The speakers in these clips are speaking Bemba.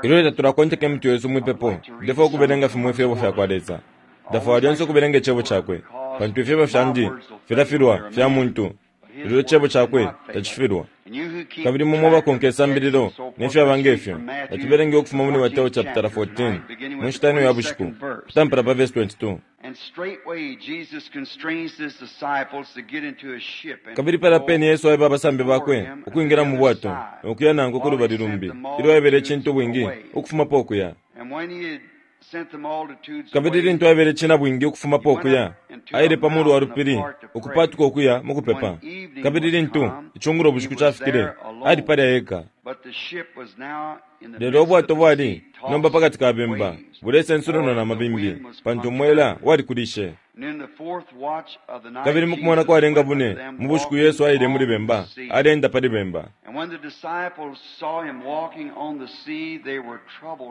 Ilyo tatulakonteka imitwe yesu mwipepo, ndefwaya ukubelenga fimo ifyebo fyakwa Lesa. Ndafwaya lyonse ukubelenga Icebo Cakwe, pantu ifyebo fyandi filafilwa fya muntu, lelo Icebo Cakwe tacifilwa. Kabili imwe mwebakonka isambililo ne fyaba nge fyo, natubelenge ukufuma muli Mateo chapitala 14, mu nshita ino ya bushiku, ukutampila pa vesi 22. Kabili palya pene Yesu aeba abasambi bakwe ukwingila mu bwato no kuya nankwe ku lubali lumbi, ilyo aebele icintubwingi ukufumapo ukuya. Kabili lintu aebele icinabwingi ukufumapo ukuya, aile pa mulu wa lupili ukupaatuka ukuya mu kupepa. Kabili lintu icungulo bushiku cafikile, ali palya eka. Lelo ubwato bwali nomba pa kati ka bemba, bulesensununwa na mabimbi, pantu umwela walikulishe. Kabili mu kumona kwalenga bune mu bushiku Yesu aile muli bemba, aleenda pali bemba.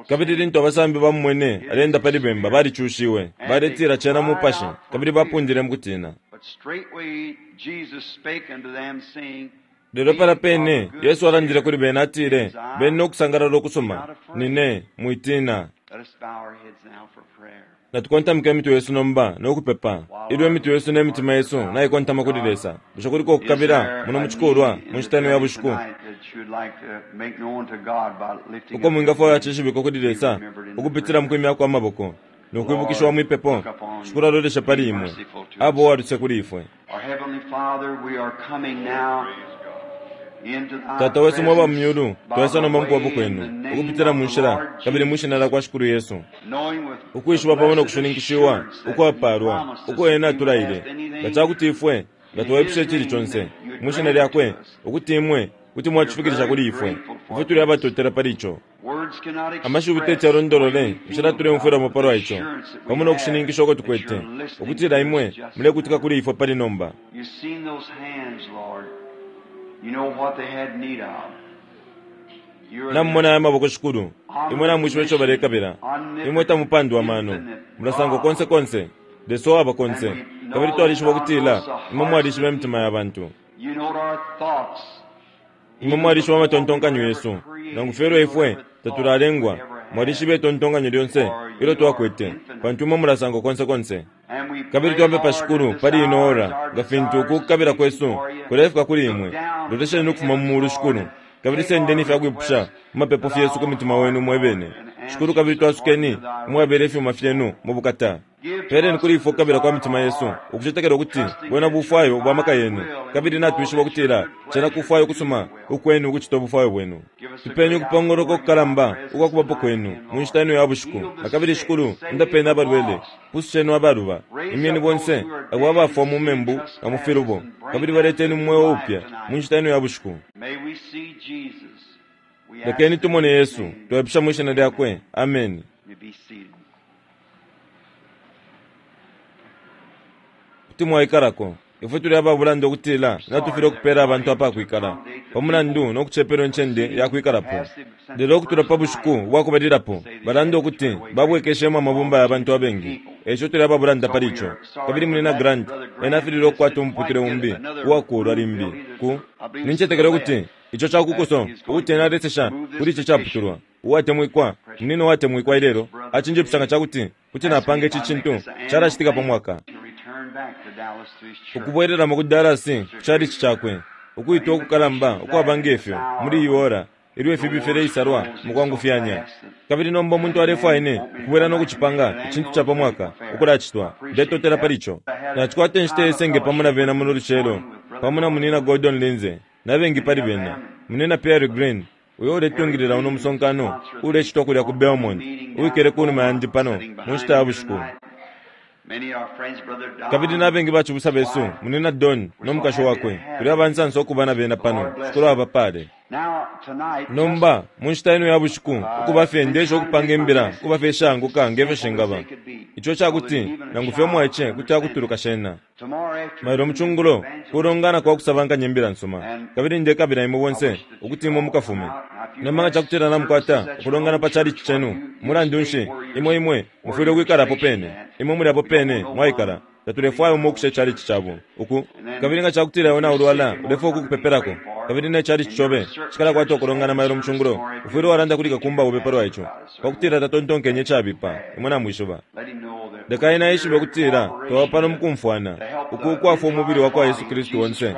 Kabili lintu abasambi bamumwene aleenda pali bemba, balicushiwe, baletila cena mupashi, kabili bapundile mu kutina. Lelo palya pene Yesu alandile kuli bena atile, Beni no kusangalala ukusuma, nine, mwitiina. Natukontamike imitwe yesu nomba no kupepa. Ilyo imitwe yesu ne mitima yesu naikontama kuli Lesa, bushe kuliko ukukabila muno mu cikulwa mu nshita ino ya bushiku uko mwingafwaya cishibikwe kuli Lesa ukupitila mu kwimyako amaboko no kwibukishiwa mwi pepo? Shikulu aloleshe pali imwe, abe uwa luse kuli ifwe. Tata wesu mwaba mu myulu, twaisa nomba mukubapo kwenu, ukupitila mu nshila kabili mwi Shina lyakwa Shikulu Yesu, ukwishiba pamo no kushininkishiwa ukwapalwa uko Ena atulaile, nga cakuti ifwe nga twaipusha icili conse mwi Shina Lyakwe, ukuti Imwe kuti mwacifikilisha kuli ifwe. Ifwe tuli abatotela pali ico. Amashiwi teti yalondolole inshila tuleumfwilamo palwa ico, pamo no kushininkisha uko tukwete ukutila Imwe mulekutika kuli ifwe pali nomba. Namumona aya maboko, Shikulu. Imwe namwishiba ico balekabila. Imwe tamupandwa amano. Mulasangwa konse konse, Lesa uwaba konse. Kabili twalishiba ukutila Imwe mwalishiba imitima ya bantu. Imwe mwalishiba amatontonkanyo yesu, nangu fye ilyo ifwe tatulalengwa. Mwalishiba itontonkanyo lyonse ilyo twakwete, pantu Imwe mulasangwa konse konse. Kabili twapepa, Shikulu, pali ino ora, nga fintu uku kukabila kwesu kulefika kuli Imwe, lolesheni ukufuma mu Mulu, Shikulu, kabili sendeni ifya kwipusha mu mapepo fyesu ku mutima Wenu mwebene, Shikulu, kabili twasukeni umwabela ifyuma Fyenu mu bukata. Peeleni kuli ifwe ukukabila kwa mitima yesu, ukucetekela ukuti bwena bufwayo bwa maka yenu, kabili natwishiba ukutila cena kufwaya ukusuma ukwenu ukucita ubufwayo bwenu. Tupeni ukupongoloka ukukalamba ukwa kubapo kwenu mu nshita ino ya bushiku. Na kabili, Shikulu, undapeni abalwele, pususheni abaluba, imyeni bonse abo abafwa mu membu na mu filubo, kabili baleteni mu mweo upya mu nshita ino ya bushiku. Lekeni tumone Yesu, twaipusha mwi Shina Lyakwe. Ameni. Kuti mwaikalako. Ifwe tuli aba bulanda ukutila natufilwa ukupela abantu apakwikala pa mulandu no kucepelwa incende ya kwikalapo. Lelo ukutula pa bushiku bwa kubalilapo, balanda ukuti babwekeshemo amabumba ya bantu abengi. E ico tuli aba bulanda pali ico. Kabili Munyina Grant ena afililwe ukukwata umuputule umbi uwakuulwa limbi ku. Nincetekela ukuti ico ca ku kuso ukuti ena alesesha kuli ici caputulwa. Uwatemwikwa, munina uwatemwikwa ilelo acinjipusha nga ca kuti kuti napanga ici cintu calacitika pa mwaka. Ukubwelelamo ku Dallas ku chalichi cakwe, ukwitwa ukukalamba ukwaba nge fyo muli iyi ora ilyo ifibi fileisalwa mukwangufyanya. Kabili nomba umuntu alefwaya ine ukubwela no kucipanga icintu ca pa mwaka ukulacitwa. Ndetotela pali ico. Nacikwata inshita ye senge pamo na bena muno lucelo, pamo na Munina Gordon Lindsay na bengi pali bena, Munina Pearry Green, uyo uletungilila uno musonkano uulecitwa kulya ku Belmont, uwikele kunuma yandi pano mu nshita ya bushiku. Kabili na bengi bacibusa besu, Munyina Don no mukashi wakwe, tuli abansansa ukuba na bena pano. Shikulu abapaale. Nomba, mu nshita ino ya bushiku, ukuba fye ndeesha ukupanga imbila ukuba fye ishaanguka nge fyo shingaba, ico ica kuti nangu fye umwaice kuti akutuluka shena. Mailo mu cungulo kulongana kwa kusabankanya imbila nsuma, kabili ndekabila imwe bonse ukuti imwe mukafume. Nomba nga cakutila namukwata ukulongana pa chalichi cenu, mulandu nshi, imwe, imwe mufwile ukwikala apo pene. Imwe muli apo pene mwaikala. Tatulefwaya umo ukusha ichalichi cabo. Uku. Kabili nga cakutila iwe naulwala, ulefwaya ukukupepelako. Kabili ne chalichi cobe cikalakwata ukulongana mailo mu cungulo, ufwile walanda kuli kakumba obe palwa ico, pakutila tatontonkenye icabipa. Imwe namwishiba. Leka ena eshibe ukutila twaba pano mukumfwana, uku ukwafwa Umubili wakwa Yesu Kristu onse,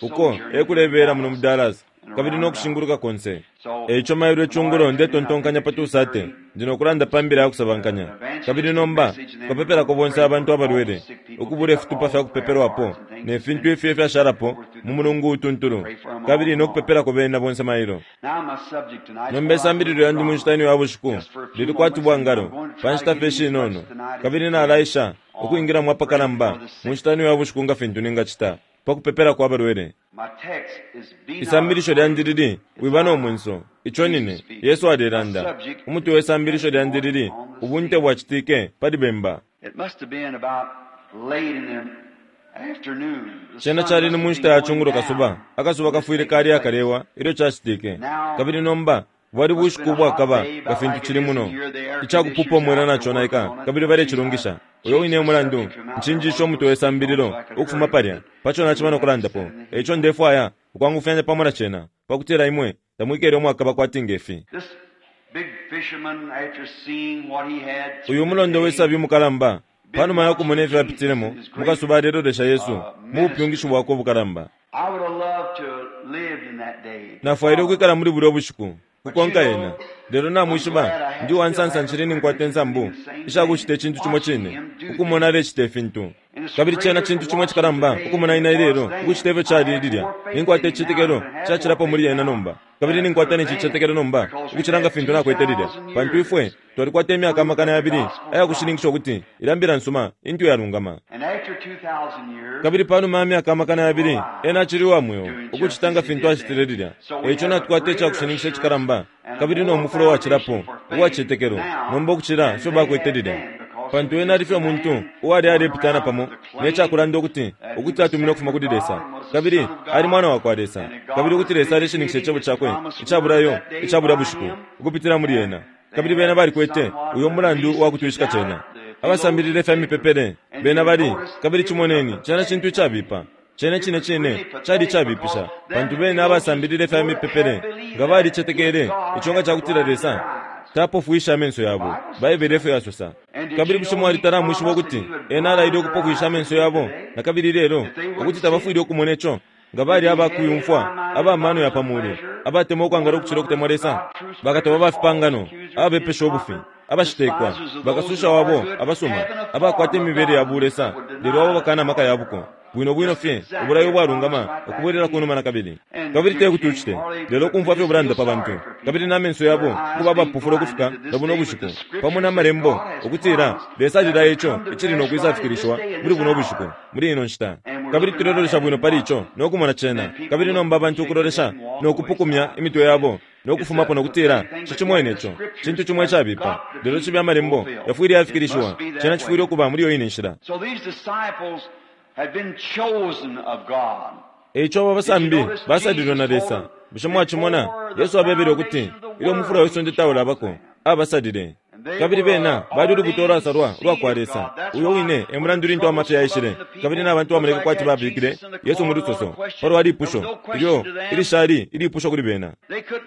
uko ekulebela muno mu Dallas kabili no kushinguluka konse. E ico mailo icungulo ndetontonkanya pa 2:30 ndi no kulanda pa mbila ya kusabankanya. Kabili nomba tukapepelako bonse abantu abalwele, ukubula ifitupa fya kupepelwapo ne fintu ifyo ifyashalapo mu mulungu utuntulu, kabili no kupepelako bena bonse mailo. Nomba isambililo yandi mu nshita ino ya bushiku lili kwati bwangalo pa nshita fye ishinono, kabili nalaesha ukwingilamo apakalamba mu nshita ino ya bushiku nga fintu ningacita pa kupepelako abalwele. Isambilisho lyandi lili, Wiba no mwenso. Ico nine, Yesu alelanda. Umutwe we sambilisho lyandi lili, Ubunte Bwacitike Pali Bemba. Cena cali ni mu nshita ya cungulo kasuba. Akasuba kafwile kali akalewa ilyo cacitike. Kabili nomba bwali bushiku ubwakaba nga fintu cili muno, ica kupupa umwela naconaika kabili balecilungisha. Uyo wine e mulandu ncinjishe umutwe we sambililo ukufuma palya, pa co naciba no kulandapo. E ico ndefwaya ukwangufyanya pamo na cena, pa kutila imwe tamwikele umwakaba kwati nge fi. Uyu mulondo we sabi umukalamba, pa numa ya kumona ifyo apitilemo mu kasuba alelolesha Yesu mu bupyungishi bwakwe ubukalamba. Nafwaile ukwikala muli bulya ubushiku, kukonka ena. Lelo namwishiba, ndi uwansansa ncili ninkwata insambu isha kucita icintu cimo cine, ukumona alecita ifintu. Kabili cena cintu cimo icikalamba ukumona ine ilelo ukucita ifyo cali lilya. Ninkwata icicetekelo cacilapo muli ena nomba, kabili ninkwata ne cicetekelo nomba ukucila nga fintu nakwete lilya, pantu ifwe twalikwata imyaka 2000 aya kushininkisha ukuti ilya Mbila nsuma intu yalungama. Kabili panuma ya myaka 2000, ena acili uwa mweo, ukucita nga fintu acitile lilya. E ico natukwata icakushininkisha icikalamba kabili no mufulo uwacilapo uwa cicetekelo nomba ukucila ifyo bakwete lilya. Pantu ena ali fye umuntu uwali alepitana pamo ne cakulanda ukuti, ukuti atuminwe ukufuma kuli Lesa, kabili ali Mwana wakwa Lesa, kabili ukuti Lesa aleshininkisha Icebo Cakwe ica bulayo ica bulya bushiku ukupitila muli ena. Kabili bena balikwete uyo mulandu uwa kutwishika cena. Abasambilila ifya mipepele, bena bali, kabili cimoneni, cena cintu icabipa. Cena icine cine cali icabipisha, pantu bena abasambilila ifya mipepele nga balicetekele ico nga cakutila Lesa tapofwishe amenso yabo, Baibele efyo yasosa. Kabili bushe mwalitala amwishiba ukuti Ena alaile ukupofwisha amenso yabo nakabili ilelo, ukuti tabafwile ukumona ico? Nga bali aba kuyumfwa, aba mano ya pa mulu, abatemwa ukwangala ukucila ukutemwa Lesa, bakatoba ba fipangano, ababepesha ubufi, abashitekwa, bakasusha wabo abasuma, abakwata imibele ya bulesa, lelo abo bakana amaka ya buko. Bwino bwino fye, ubulayo ubwalungama, ukubwelela ku numa na kabili. Kabili te kuti ucite, lelo ukumfwa fye ubulanda pa bantu, kabili na menso yabo ukuba abapofula ukufika na buno bushiku, pamo na Malembo, ukutila Lesa alilaya ico icili no kwisafikilishiwa muli buno bushiku, muli ino nshita. Kabili tulelolesha bwino pali ico no kumona cena, kabili nomba abantu ukulolesha no kupukumya imitwe yabo no kufumapo no kutila, Nshicimwene ico. Cintu cimo icabipa. Lelo cibe Amalembo yafwile yafikilishiwa, cena cifwile ukuba muli iyo ine nshila. E ico aba basambi basalilwe na Lesa. Bushe mwacimona? Yesu abebele ukuti ilyo umufula we sonde taulabako, abasalile. Kabili bena bali ulubuto ulwasalwa ulwa kwa Lesa. Uyo wine e mulandu lintu amafya yaishile, kabili na bantu bamoneke kwati babikile Yesu mu lusoso pa lwa lipusho ilyo ilishali ilipusho kuli bena.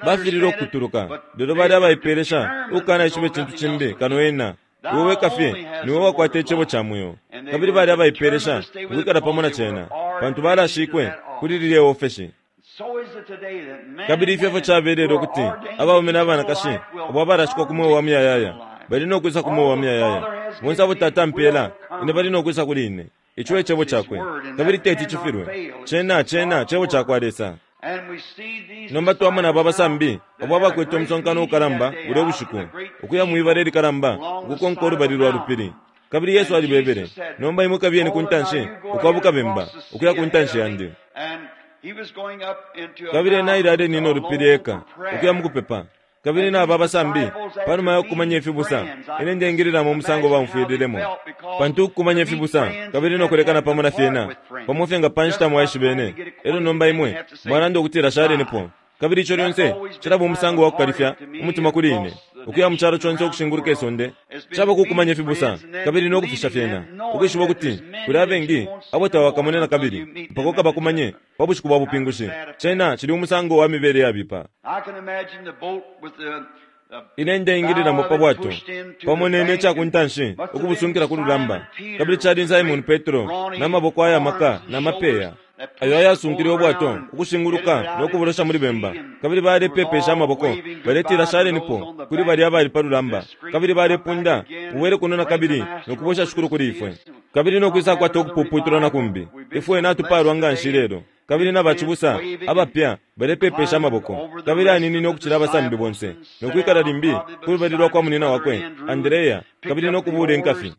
Bafililwe ukukutuluka, lelo bali abaipeelesha ukukanaishiba icintu cimbi kano ena. Iwe weka fye niwe wakwata Icebo ca mweo. Kabili bali abaipeelesha ukwikala pamo na Cena, pantu balashikwe kuli lilye ofeshi. Kabili ifyo efyo cabelele ukuti abaume na banakashi abo abalashikwa ku mweo wa muyayaya bali no kwisa ku mweo wa muyayaya. Bonse abo Tata ampeela ine bali no kwisa kuli ine. Ico e Cebo Cakwe, kabili teti cifilwe. Cena, cena Cebo cakwa Lesa. Nomba twamona aba abasambi abo abakwete umusonkano ukalamba bulya bushiku, ukuya mwi bala ilikalamba ukukonka ulubali lwa lupili. Kabili Yesu alibebele, Nomba imwe kabiyeni ku ntanshi ukwabuka bemba, ukuya ku ntanshi yandi. Kabili ena aile alenina ulupili eka, ukuya mukupepa. Kabili na aba abasambi, pa numa ya kukumanya ifibusa, ine ndeingililamo umusango baumfwililemo. Pantu ukukumanya ifibusa, kabili no kulekana pamo na fyena, pamo fye nga pa nshita mwaishibene, elyo nomba imwe mwalanda ukutila shalenipo. Kabili ico lyonse cilaba umusango wa kukalifya umutima kuli ine. ukuya mu calo conse ukushinguluka isonde? Caba kukumanya ifibusa kabili no kufisha fyena, ukwishiba ukuti kuli abengi abo tawakamone na kabili mpaka ukabakumanye pa bushiku bwa bupingushi. Cena cili umusango wa mibele yabipa. Ine ndeingililamo pa bwato pamo nene ica ku ntanshi ukubusunkila ku lulamba, kabili cali ni Simon Petro na maboko aya maka na mapeya ayo ayasunkile ubwato ukushinguluka no kubulosha muli bemba, kabili balepepesha amaboko baletila shalenipo kuli balya abali pa lulamba, kabili balepunda mubwele kuno na kabili no kubwesha Shikulu kuli ifwe, kabili no kwisakwata ukupuputulwa na kumbi. Ifwe natupaalwa nga nshi lelo. Kabili na bacibusa abapya balepepesha amaboko, kabili aninine ukucila abasambi bonse, no kwikala limbi ku lubali lwa kwa munina wakwe Andrea, kabili no kubuula inkafi.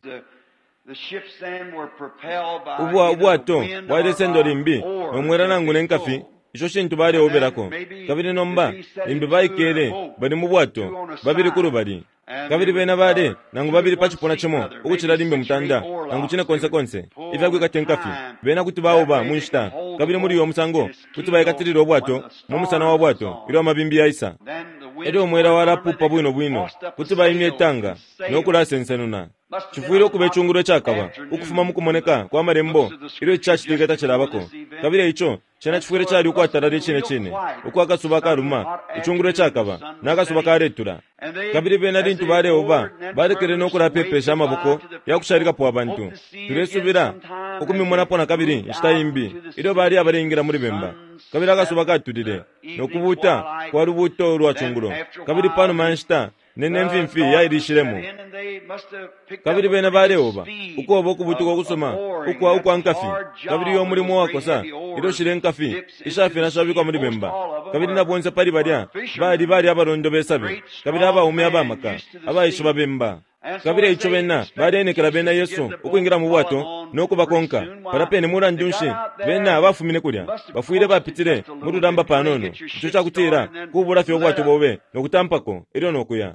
Ubwa ubwato bwalesendwa limbi no mwela nangu ne nkafi isho shintu baleobelako. Kabili nomba limbi baikele bali mu bwato, babili ku lubali. Kabili bena bale nangu babili pa cipuna cimo ukucila limbi mutanda nangu cine konse konse ifya kwikata inkafi. Bena kuti baoba mu nshita, kabili muli uyo musango kuti baikatilila ubwato mu musana wa bwato ilyo amabimbi yaisa. Elyo umwela walapupa bwino bwino, kuti baimya itanga no kulasensenuna. Cifwile ukuba icungulo icakaba ukufuma mu kumoneka kwa Malembo ilyo ici cacitike tacilabako. Kabili e ico cena cifwile cali ukwatalala icine cine, uko akasuba kaluma, icungulo icakaba, na kasuba kaletula. Kabili bena lintu baleoba, balekele no kulapepesha amaboko ya kushalikapo abantu. Tulesubila ukumimonapo na kabili inshita imbi, ilyo bali abaleingila muli bemba. Kabili akasuba katulile, no kubuuta kwa lubuuto lwa cungulo. Kabili panuma ya nshita, ne ne mfimfi yailishilemo. Kabili bena baleoba, ukoba ukubutuka ukusuma ukwa ukwa nkafi, kabili uyo mulimo uwakosa ilyo shile nkafi ishafina shabikwa muli bemba. Kabili na bonse pali balya bali bali abalondo be sabi, kabili abaume abamaka abaishiba bemba. Kabili eico bena baleenekela bena Yesu ukwingila mu bwato no kubakonka. Palya pene mulandu nshi bena bafumine kulya? Bafwile bapitile mu lulamba panono, ico cakutila kubula fye ubwato bobe no kutampako elyo no kuya.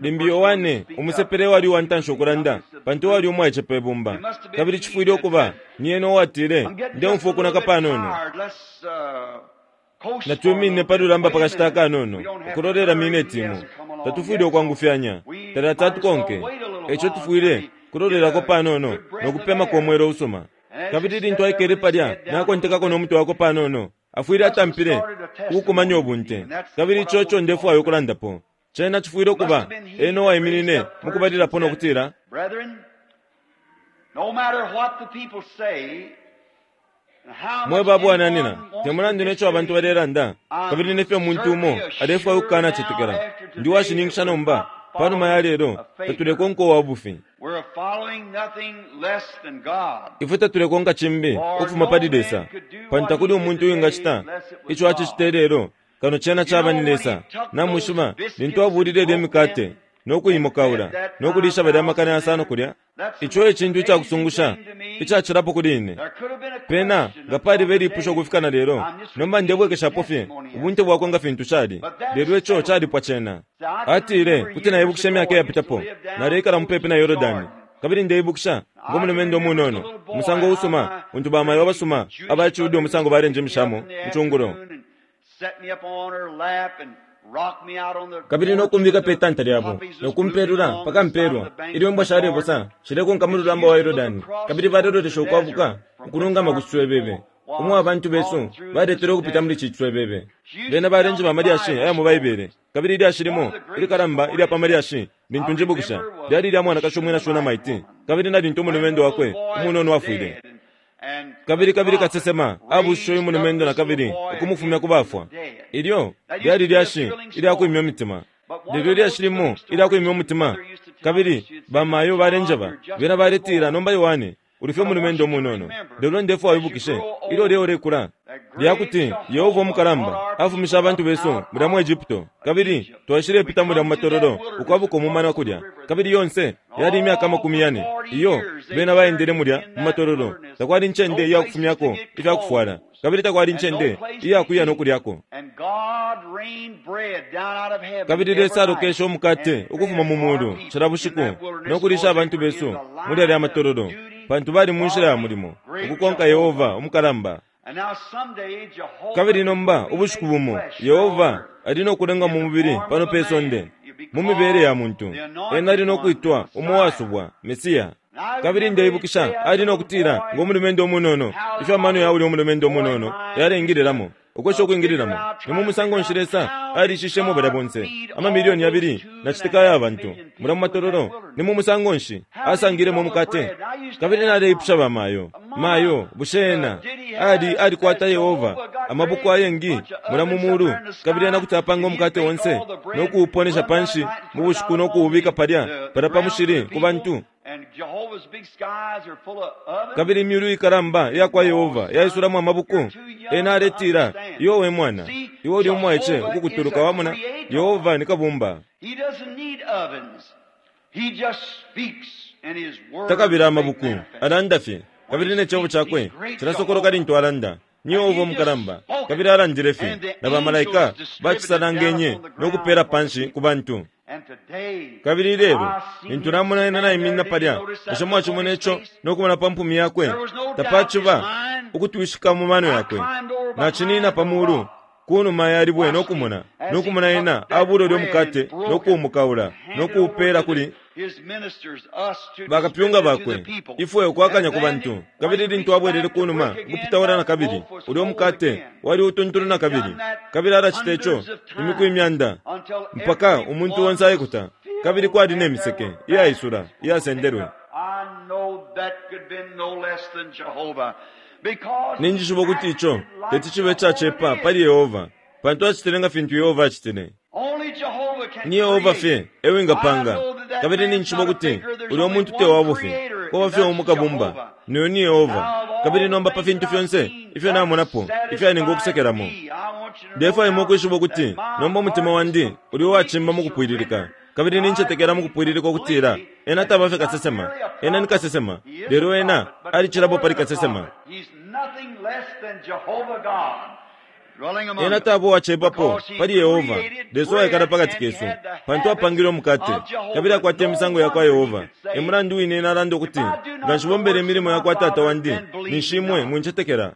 Limbi Yohane umusepela ewali uwa ntanshi ukulanda, pantu ewali umwaice pe bumba. Kabili cifwile ukuba ni ena uwatile, Ndeumfwa ukunaka panono. Natwiminine pa lulamba pa kashita akanono, ukulolela mineti imo. Tatufwile ukwangufyanya. Talati atukonke. E ico tufwile kulolelako panono no kupemako umwela usuma. Kabili lintu aikele palya nakontekako no mutwe wakwe panono, afwile atampile ukukumanya ubunte. Kabili ico eco ndefwaya ukulandapo. Cena cifwile ukuba ena uwaiminine mukubalilapo no kutila, Mwe ba bwananyina, te mulandu ne co abantu balelanda kabili ne fyo umuntu umo alefwaya ukukanacetekela, ndi uwashininkisha nomba, pa numa ya lelo, tatulekonka uwa bufi. Ifwe tatulekonka cimbi ukufuma pali Lesa, pantu takuli umuntu uwingacita ico acicita ilelo kano cena caba ni Lesa. Namwishiba, lintu abuulile ilye mikate no kuimokaula no kuliisha balya amakana yasano kulya, ico e cintu icakusungusha icacilapo kuli ine. Pena nga paliba ilipusho ukufika na lelo, nomba ndebwekeshapo fye ubunte bwakwe nga fintu cali, lelo ico calipwa cena. Atile, Kuti naibukisha imyaka iyapitapo, naleikala mupepi na Yordani, kabili ndeibukisha ngo mulumendo umunono, umusango usuma untu bamayo abasuma aba ciYuda umusango balenjimishamo mu cungulo, Kabili no kumbika pe tanta lyabo, no kumpelula mpaka mpelwa, ilyo imbwa shalebosa shilekonka mu lulamba wa Yordani, kabili balelolesha ukwabuka ukulungama ku ciswebebe, umo abantu besu baletelwe ukupita muli ci ciswebebe. Bena balenjeba amalyashi aya mu Baibele, kabili ilyashi limo ilikalamba ilya pa malyashi lintu njibukisha lyali lya mwanakashi umwina Shunamaiti, kabili na lintu umulumendo wakwe umunono afwile. Kabili, kabili kasesema abuushishe uyu mulumendo na kabili ukumufumya ku bafwa. Ilyo lyali lyashi ilya kwimya umutima. Lelo ilyashi limo ilya kwimya umutima, kabili bamayo balenjeba, bena baletila, Nomba, Yohane, uli fye umulumendo umunono. Lelo ndefwaya wibukishe, ilyo uleya ulekula, lya kuti Yehova umukalamba afumishe abantu besu mulya mu Egupto, kabili twaishilepita mulya mu matololo ukwabuka umumana kulya, kabili yonse yali imyaka amakumi yane iyo bena baendele mulya mu matololo. Takwali incende iya kufumyako ifya kufwala, kabili takwali incende iya kuya no kulyako. Kabili Lesa alokeshe umukate ukufuma mu mulu cila bushiku no kuliisha abantu besu muli yalya matololo, pantu bali mu nshila ya mulimo, ukukonka Yehova umukalamba. Kabili nomba ubushiku bumo Yehova ali no kulenga mu mubili pano pe sonde mu mibele ya muntu. Ena ali no kwitwa umo wasubwa, Mesia. Kabili ndeibukisha ali no kutila ngo mulumendo umunono, ifyo amano ya ulya umulumendo umunono yaleingililamo, ukwesha ukwingililamo. Ni mu musango nshi Lesa alishishemo balya bonse amamilioni yabili na citika ya bantu mulya mu matololo? Ni mu musango nshi asangilemo umukate? Kabili naleipusha ba mayo, Mayo, bushe ena ali alikwata Yehova amabuku ayengi mulya mu mulu, kabili ena kuti apanga umukate onse no kuuponesha panshi mu bushiku no kuubika palya palya pa mushili ku bantu? Kabili imyulu ikalamba iya kwa Yehova yaisulamo amabuku. Ena aletila, Iwe we mwana, iwe uli umwaice ukukutuluka, wamona, Yehova ni Kabumba. Takabila amabuku, alanda fye, kabili ne cebo cakwe cilasokoloka lintu alanda. Ni Yehova umukalamba, kabili alandile fye, na bamalaika bacisalangenye no kupela panshi ku bantu. Kabili ilelo, lintu namona ena naiminina palya, bushe mwacimona ico no kumona pa mpumi yakwe? Tapaciba ukutwishika mu mano yakwe. Nacinina pa mulu ku numa ya libwe no kumona, no kumona ena abula ulyo mukate no kuumukaula no kuupela kuli bakapyunga bakwe, ifwe ukwakanya ku bantu. Kabili lintu abwelele ku numa ukupitaula na kabili, ulyo mukate wali utuntulu na kabili. Kabili alacita ico imiku imyanda mpaka umuntu onse aikuta, kabili kwali ne miseke iyaisula iyasendelwe. Ninjishiba ukuti ico teti cibe icacepa pali Yehova, pantu acitile nga fintu Yehova acitile. Ni Yehova fye e wingapanga, kabili ninjishiba ukuti ulya muntu te wa bufi. Kwaba fye umo Kabumba, no yo ni Yehova. Kabili nomba pa fintu fyonse ifyo namonapo ifyaninga ukusekelamo, ndefwaya imwe ukwishiba ukuti nomba umutima wandi uli uwacimba mu kupwililika, kabili nincetekela mu kupwililika ukutila ena taba fye kasesema. Ena ni kasesema, lelo ena alicilapo pali kasesema. Ena taba uwacepapo pali Yehova, Lesa uwaikala pa kati kesu, pantu apangile umukate, kabili akwata imisango ya kwa Yehova. E mulandu wine ena alanda ukuti, Nga nshibombele imilimo ya kwa Tata wandi, ninshi imwe mwincetekela.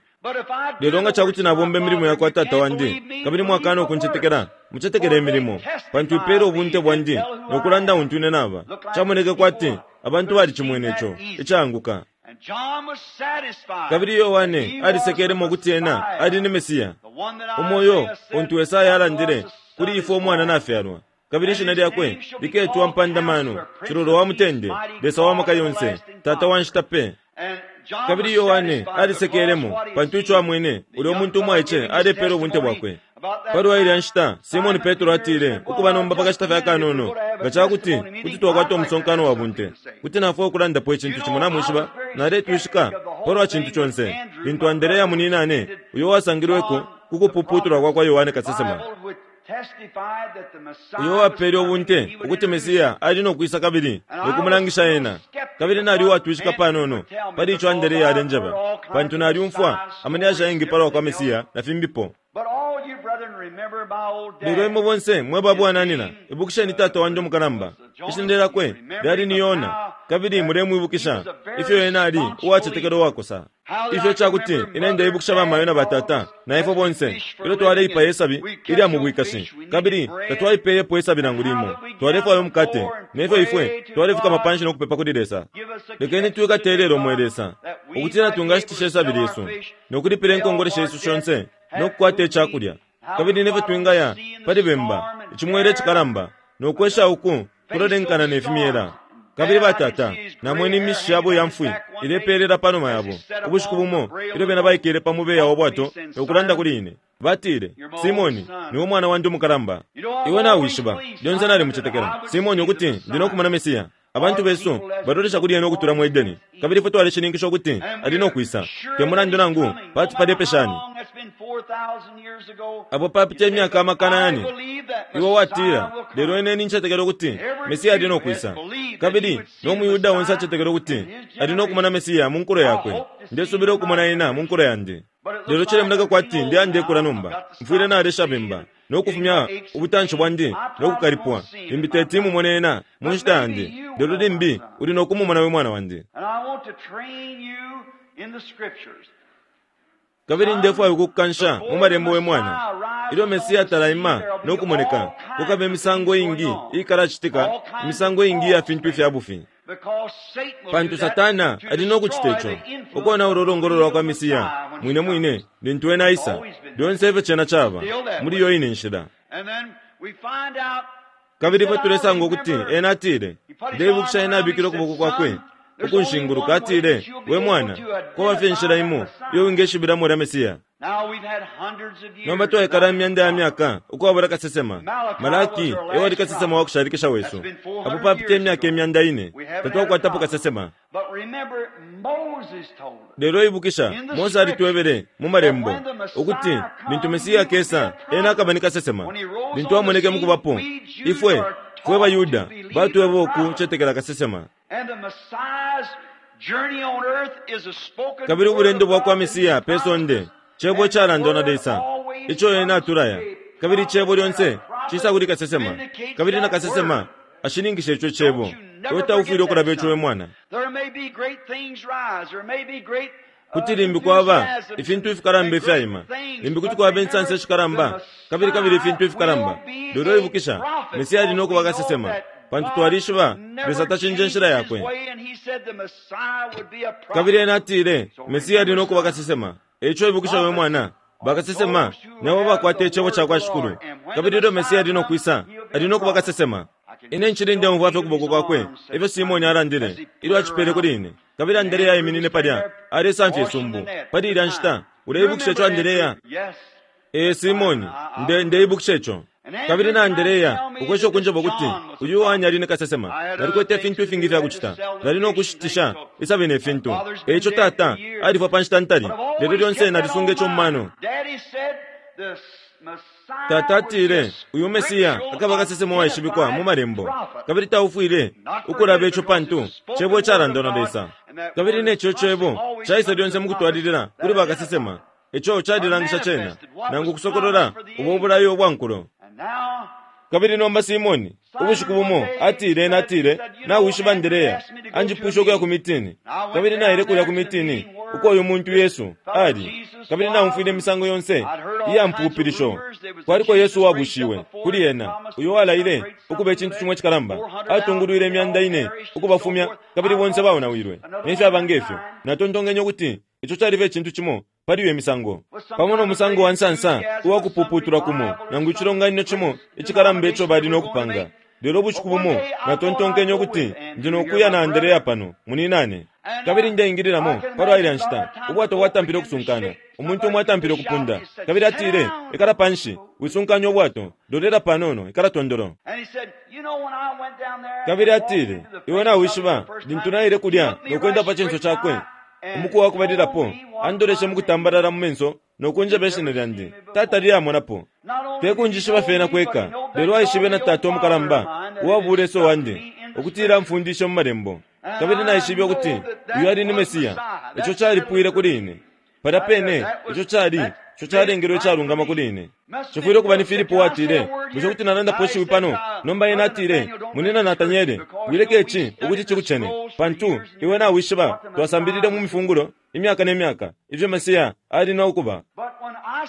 Lelo nga ca kuti nabomba imilimo ya kwa Tata wandi, kabili mwakaana ukuncetekela, mucetekele imilimo, pantu ipeela ubunte bwandi no kulanda untu ine naba. Camoneke kwati abantu balicimwene ico icaanguka. Kabili Yohane alisekelemo ukuti ena ali ni Mesia, umo uyo untu Esaya alandile, Kuli ifwe umwana nafyalwa, kabili ishina lyakwe liketwa Mpandamano, Cilolo wa Mutende, Lesa wa Maka Yonse, Tata wa Nshita Pe. Kabili Yohane alisekelemo pantu ico amwene ulya umuntu umwaice alepeela ubunte bwakwe. Pa lwa ilya nshita, Simone Petro atile, Ukuba nomba pa kashita fye akanono, nga ca kuti kuti twakwata umusonkano wa bunte, kuti nafwaya ukulandapo icintu cimo. Namwishiba, naletwishika pa lwa cintu conse lintu Anderea munyinane, uyo uwasangilweko ku kupuputulwa kwa kwa Yohane kasesema, uyo uwapele ubunte ukuti Mesia ali no kwisa kabili no kumulangisha ena. Kabili nali uwatwishika panono pali ico Anderea alenjeba, pantu nalyumfwa amalyashi ayengi pa lwa kwa Mesia na fimbipo. Lelo imwe bonse mwe ba bwananyina, ibukisheni tata wandi umukalamba. Ishina lyakwe lyali ni Yona, kabili mulemwibukisha ifyo ena ali uwacetekela uwakosa. Ifyo ca kuti ine ndeibukisha bamayo na batata na ifwe bonse ilyo twaleipaya isabi ilya mu bwikashi, kabili tatwaipeyepo isabi nangu limo. Twalefwaya umukate, ne fyo ifwe twalefukama panshi no kupepa kuli Lesa. Lekeni twikate ilelo, mwe Lesa, ukutila twingashitisha isabi lyesu no kulipila inkongole shesu shonse no kukwata ica kulya, kabili ne fyo twingaya pali bemba, icimwela icikalamba, no kwesha uku kulolenkana ne fimyela. Kabili batata, namwene imishi yabo ya mfwi ilepeelela pa numa yabo. Ubushiku bumo ilyo bena baikele pa mubeya wa bwato no kulanda kuli ine, batile, Simoni, niwe mwana wandi umukalamba. Iwe nawishiba, lyonse nalimucetekela Simoni ukuti ndi no kumona Mesia. Abantu besu balolesha kuli ena ukutula mu Edeni, kabili ifwe twalishininkisha ukuti ali no kwisa, te mulandu nangu pati palepe shani. Apo papita imyaka amakana yane, iwe watila, lelo ine nincetekela ukuti Mesia ali no kwisa. Kabili no muYuda onse acetekela ukuti ali no kumona Mesia mu nkulo yakwe. Ndesubila ukumona ena mu nkulo yandi. Lelo cilemoneka kwati ndeya ndekula nomba. Mfwile nalesha bemba, no kufumya ubutanshi bwandi no kukalipwa. Limbi teti mumone ena mu nshita yandi, lelo limbi uli no kumumona we mwana wandi. Kabili ndefwaya ukukukansha mu Malembo we mwana. Ilyo Mesia talaima no kumoneka, kukaba imisango iingi iikalacitika, imisango iingi iya fintu ifya bufi. Pantu Satana ali no kucite co, ukonaula ulongolo lwa kwa Mesia mwine mwine lintu ena aisa. Lyonse efyo cena caba, muli iyo ine nshila. Kabili ifwe tulesanga ukuti ena atile, Ndeibukisha ena abikile ukuboko kwakwe ukunshinguluka, atile, We mwana, kwaba fye inshila imo iyo wingeshibilamo ulya Mesia. Nomba twaikala imyanda ya myaka ukwabula kasesema. Malaki e wali kasesema wa kushalikisha wesu. Apo papita imyaka imyanda ine, tatwakwatapo kasesema. Lelo ibukisha, Mose alitwebele mu Malembo ukuti lintu Mesia akesa, ena akaba ni kasesema. Lintu amoneke mu kubapo, ifwe fwe baYuda batweba ukucetekela kasesema. Kabili ubulendo bwa kwa Mesia pe sonde Cebo icalandwa na Lesa, ico Ena atulaya. Kabili Icebo lyonse cisa kuli kasesema, kabili na kasesema ashininkisha ico Cebo. Iwe taufwile ukulaba ico, we mwana. Kuti limbi kwaba ifintu ifikalamba ifyaima, limbi kuti kwaba insansa ishikalamba, kabili kabili ifintu ifikalamba. Lelo ibukisha, Mesia ali no kuba kasesema, pantu twalishiba Lesa tacinja inshila yakwe. Kabili ena atile Mesia ali no kuba kasesema. Eico ibukisha we mwana, bakasesema nabo bakwata icebo ca kwa Shikulu. Kabili ilyo Mesia ali no kwisa, ali no kuba kasesema. Ine ncili ndeumfwa fye ukuboko kwakwe, efyo Simone alandile ilyo acipele kuli ine. Kabili Andereya aiminine palya, alesamfya isumbu. Pali ilya nshita, uleibukisha ico, Andereya? Ee, Simone, nde, ndeibukisha ico. Kabili na Andereya ukwesha ukunjeba ukuti uyu Yohane ali ni kasesema. Nalikwete ifintu ifingi ifya kucita. Nali no kushitisha isabi ne fintu. E ico tata alifwa pa nshita ntali, lelo lyonse nalisunga ico mu mano. Tata atile uyu Mesia akaba kasesema uwaishibikwa mu Malembo, kabili taufwile ukulaba ico pantu Cebo icalandwa na Lesa. Kabili ne co Cebo caisa lyonse mu kutwalilila kuli bakasesema. Ico calilangisha cena, nangu kusokolola ubo bulayo ubwa nkulo. Kabili nomba Simoni, ubushiku bumo, atile, ena atile, Nawishiba Andrea, anjipwishe ukuya ku mitini. Kabili naile kulya ku mitini, uko uyu muntu Yesu ali. Kabili naumfwile imisango yonse iya mpupilisho. Kwaliko Yesu uwabushiwe, kuli ena, uyo walaile ukuba icintu cimo icikalamba. Atungulwile imyanda ine ukubafumya, kabili bonse baonawilwe, ne fyaba nge fyo. Natontonkenye ukuti ico cali fye icintu cimo pali iyo misango, pamo no musango wa nsansa uwa kupuputulwa kumo nangu icilonganino cimo icikalamba ico bali no kupanga. Lelo ubushiku bumo natontonkenye ukuti ndi no kuya na Anderea pano, muninane. Kabili ndeingililamo palwa ilya nshita, ubwato bwatampile ukusunkana. Umuntu umo atampile ukupunda, kabili atile, Ikala panshi, wisunkanya ubwato, lolela panono, ikala tondolo. Kabili atile, Iwe nawishiba, lintu naile kulya no kwenda pa cinso cakwe, Umuku wa kubalilapo, andoleshe mu kutambalala mu menso no kunjeba ishina lyandi. Tatalile amonapo. Te kunjishiba fye na kweka, lelo aishibe na tata umukalamba uwa bulesa uwandi, ukutila amfundishe mu Malembo. Kabili naishibe ukuti uyu ali ni Mesia. Ico calipwile kuli ine. Palya pene, ico cali, ico calengelwe icalungama kuli ine. Cifwile ukuba ni Filipo uwatile, Bushe kuti nalandapo ishiwi pano? Nomba ena atile, Munyina Nataniele, wileka ici ukuti cikucene, pantu iwe nawishiba twasambilile mu mifungulo imyaka ne myaka ifyo Mesia ali no kuba.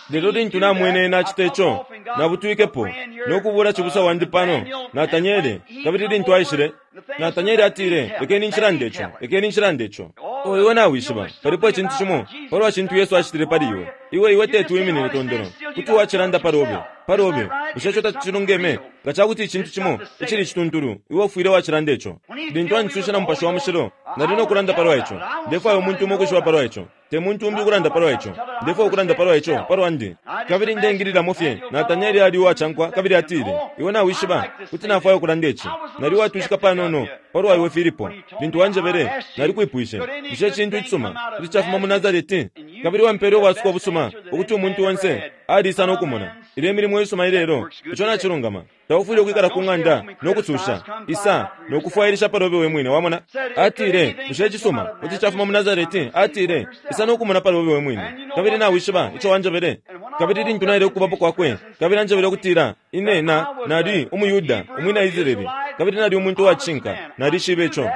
Lelo lintu namwene ena acita ico, nabutwikepo no kubuula cibusa wandi pano, Nataniele, kabili lintu aishile, Nataniele atile, Lekeni nshilande ico, lekeni nshilande ico. Oh, iwe nawishiba, palipo icintu cimo palwa cintu Yesu acitile pali iwe. Iwe, iwe teti wiminine tondolo. Kuti wacilanda palobe, palobe. Bushe ico tacilungeme? Nga ca kuti icintu cimo icili icituntulu, iwe ufwile wacilanda ico. Lintu Anjiswishe na Mupashi wa Mushilo, nali no kulanda palwa ico. Ndefwaya umuntu umo ukwishiba palwa ico. Te muntu umbi ukulanda palwa ico. Ndefwaya ukulanda palwa ico, palwandi. Kabili ndeingililamo fye, Natanieli ali uwacankwa kabili atile, Iwe nawishiba, kuti nafwaya ukulanda ici. Nali uwatwishika panono palwa iwe, Filipo. Lintu wanjebele, nalikwipwishe, Bushe icintu icisuma kuti cafuma mu Nasareti? Kabili wampele ubwasuko ubusuma, ukuti umuntu onse aliisa no kumona ilyo imilimo isuma ilelo. Ico nacilungama. Taufwile ukwikala ku ng'anda no kususha. Isa no kufwailisha palobe we mwine. Wamona? Atile, Bushe icisuma kuti cafuma mu Nasareti? Atile, Isa no kumona palobe we mwine. Kabili nawishiba ico wanjebele? Kabili lintu naile kukubapo kwakwe, kabili anjebele ukutila ine na, nali umuYuda, umwina Israele, kabili nali umuntu uwa cishinka, nalishibe ico.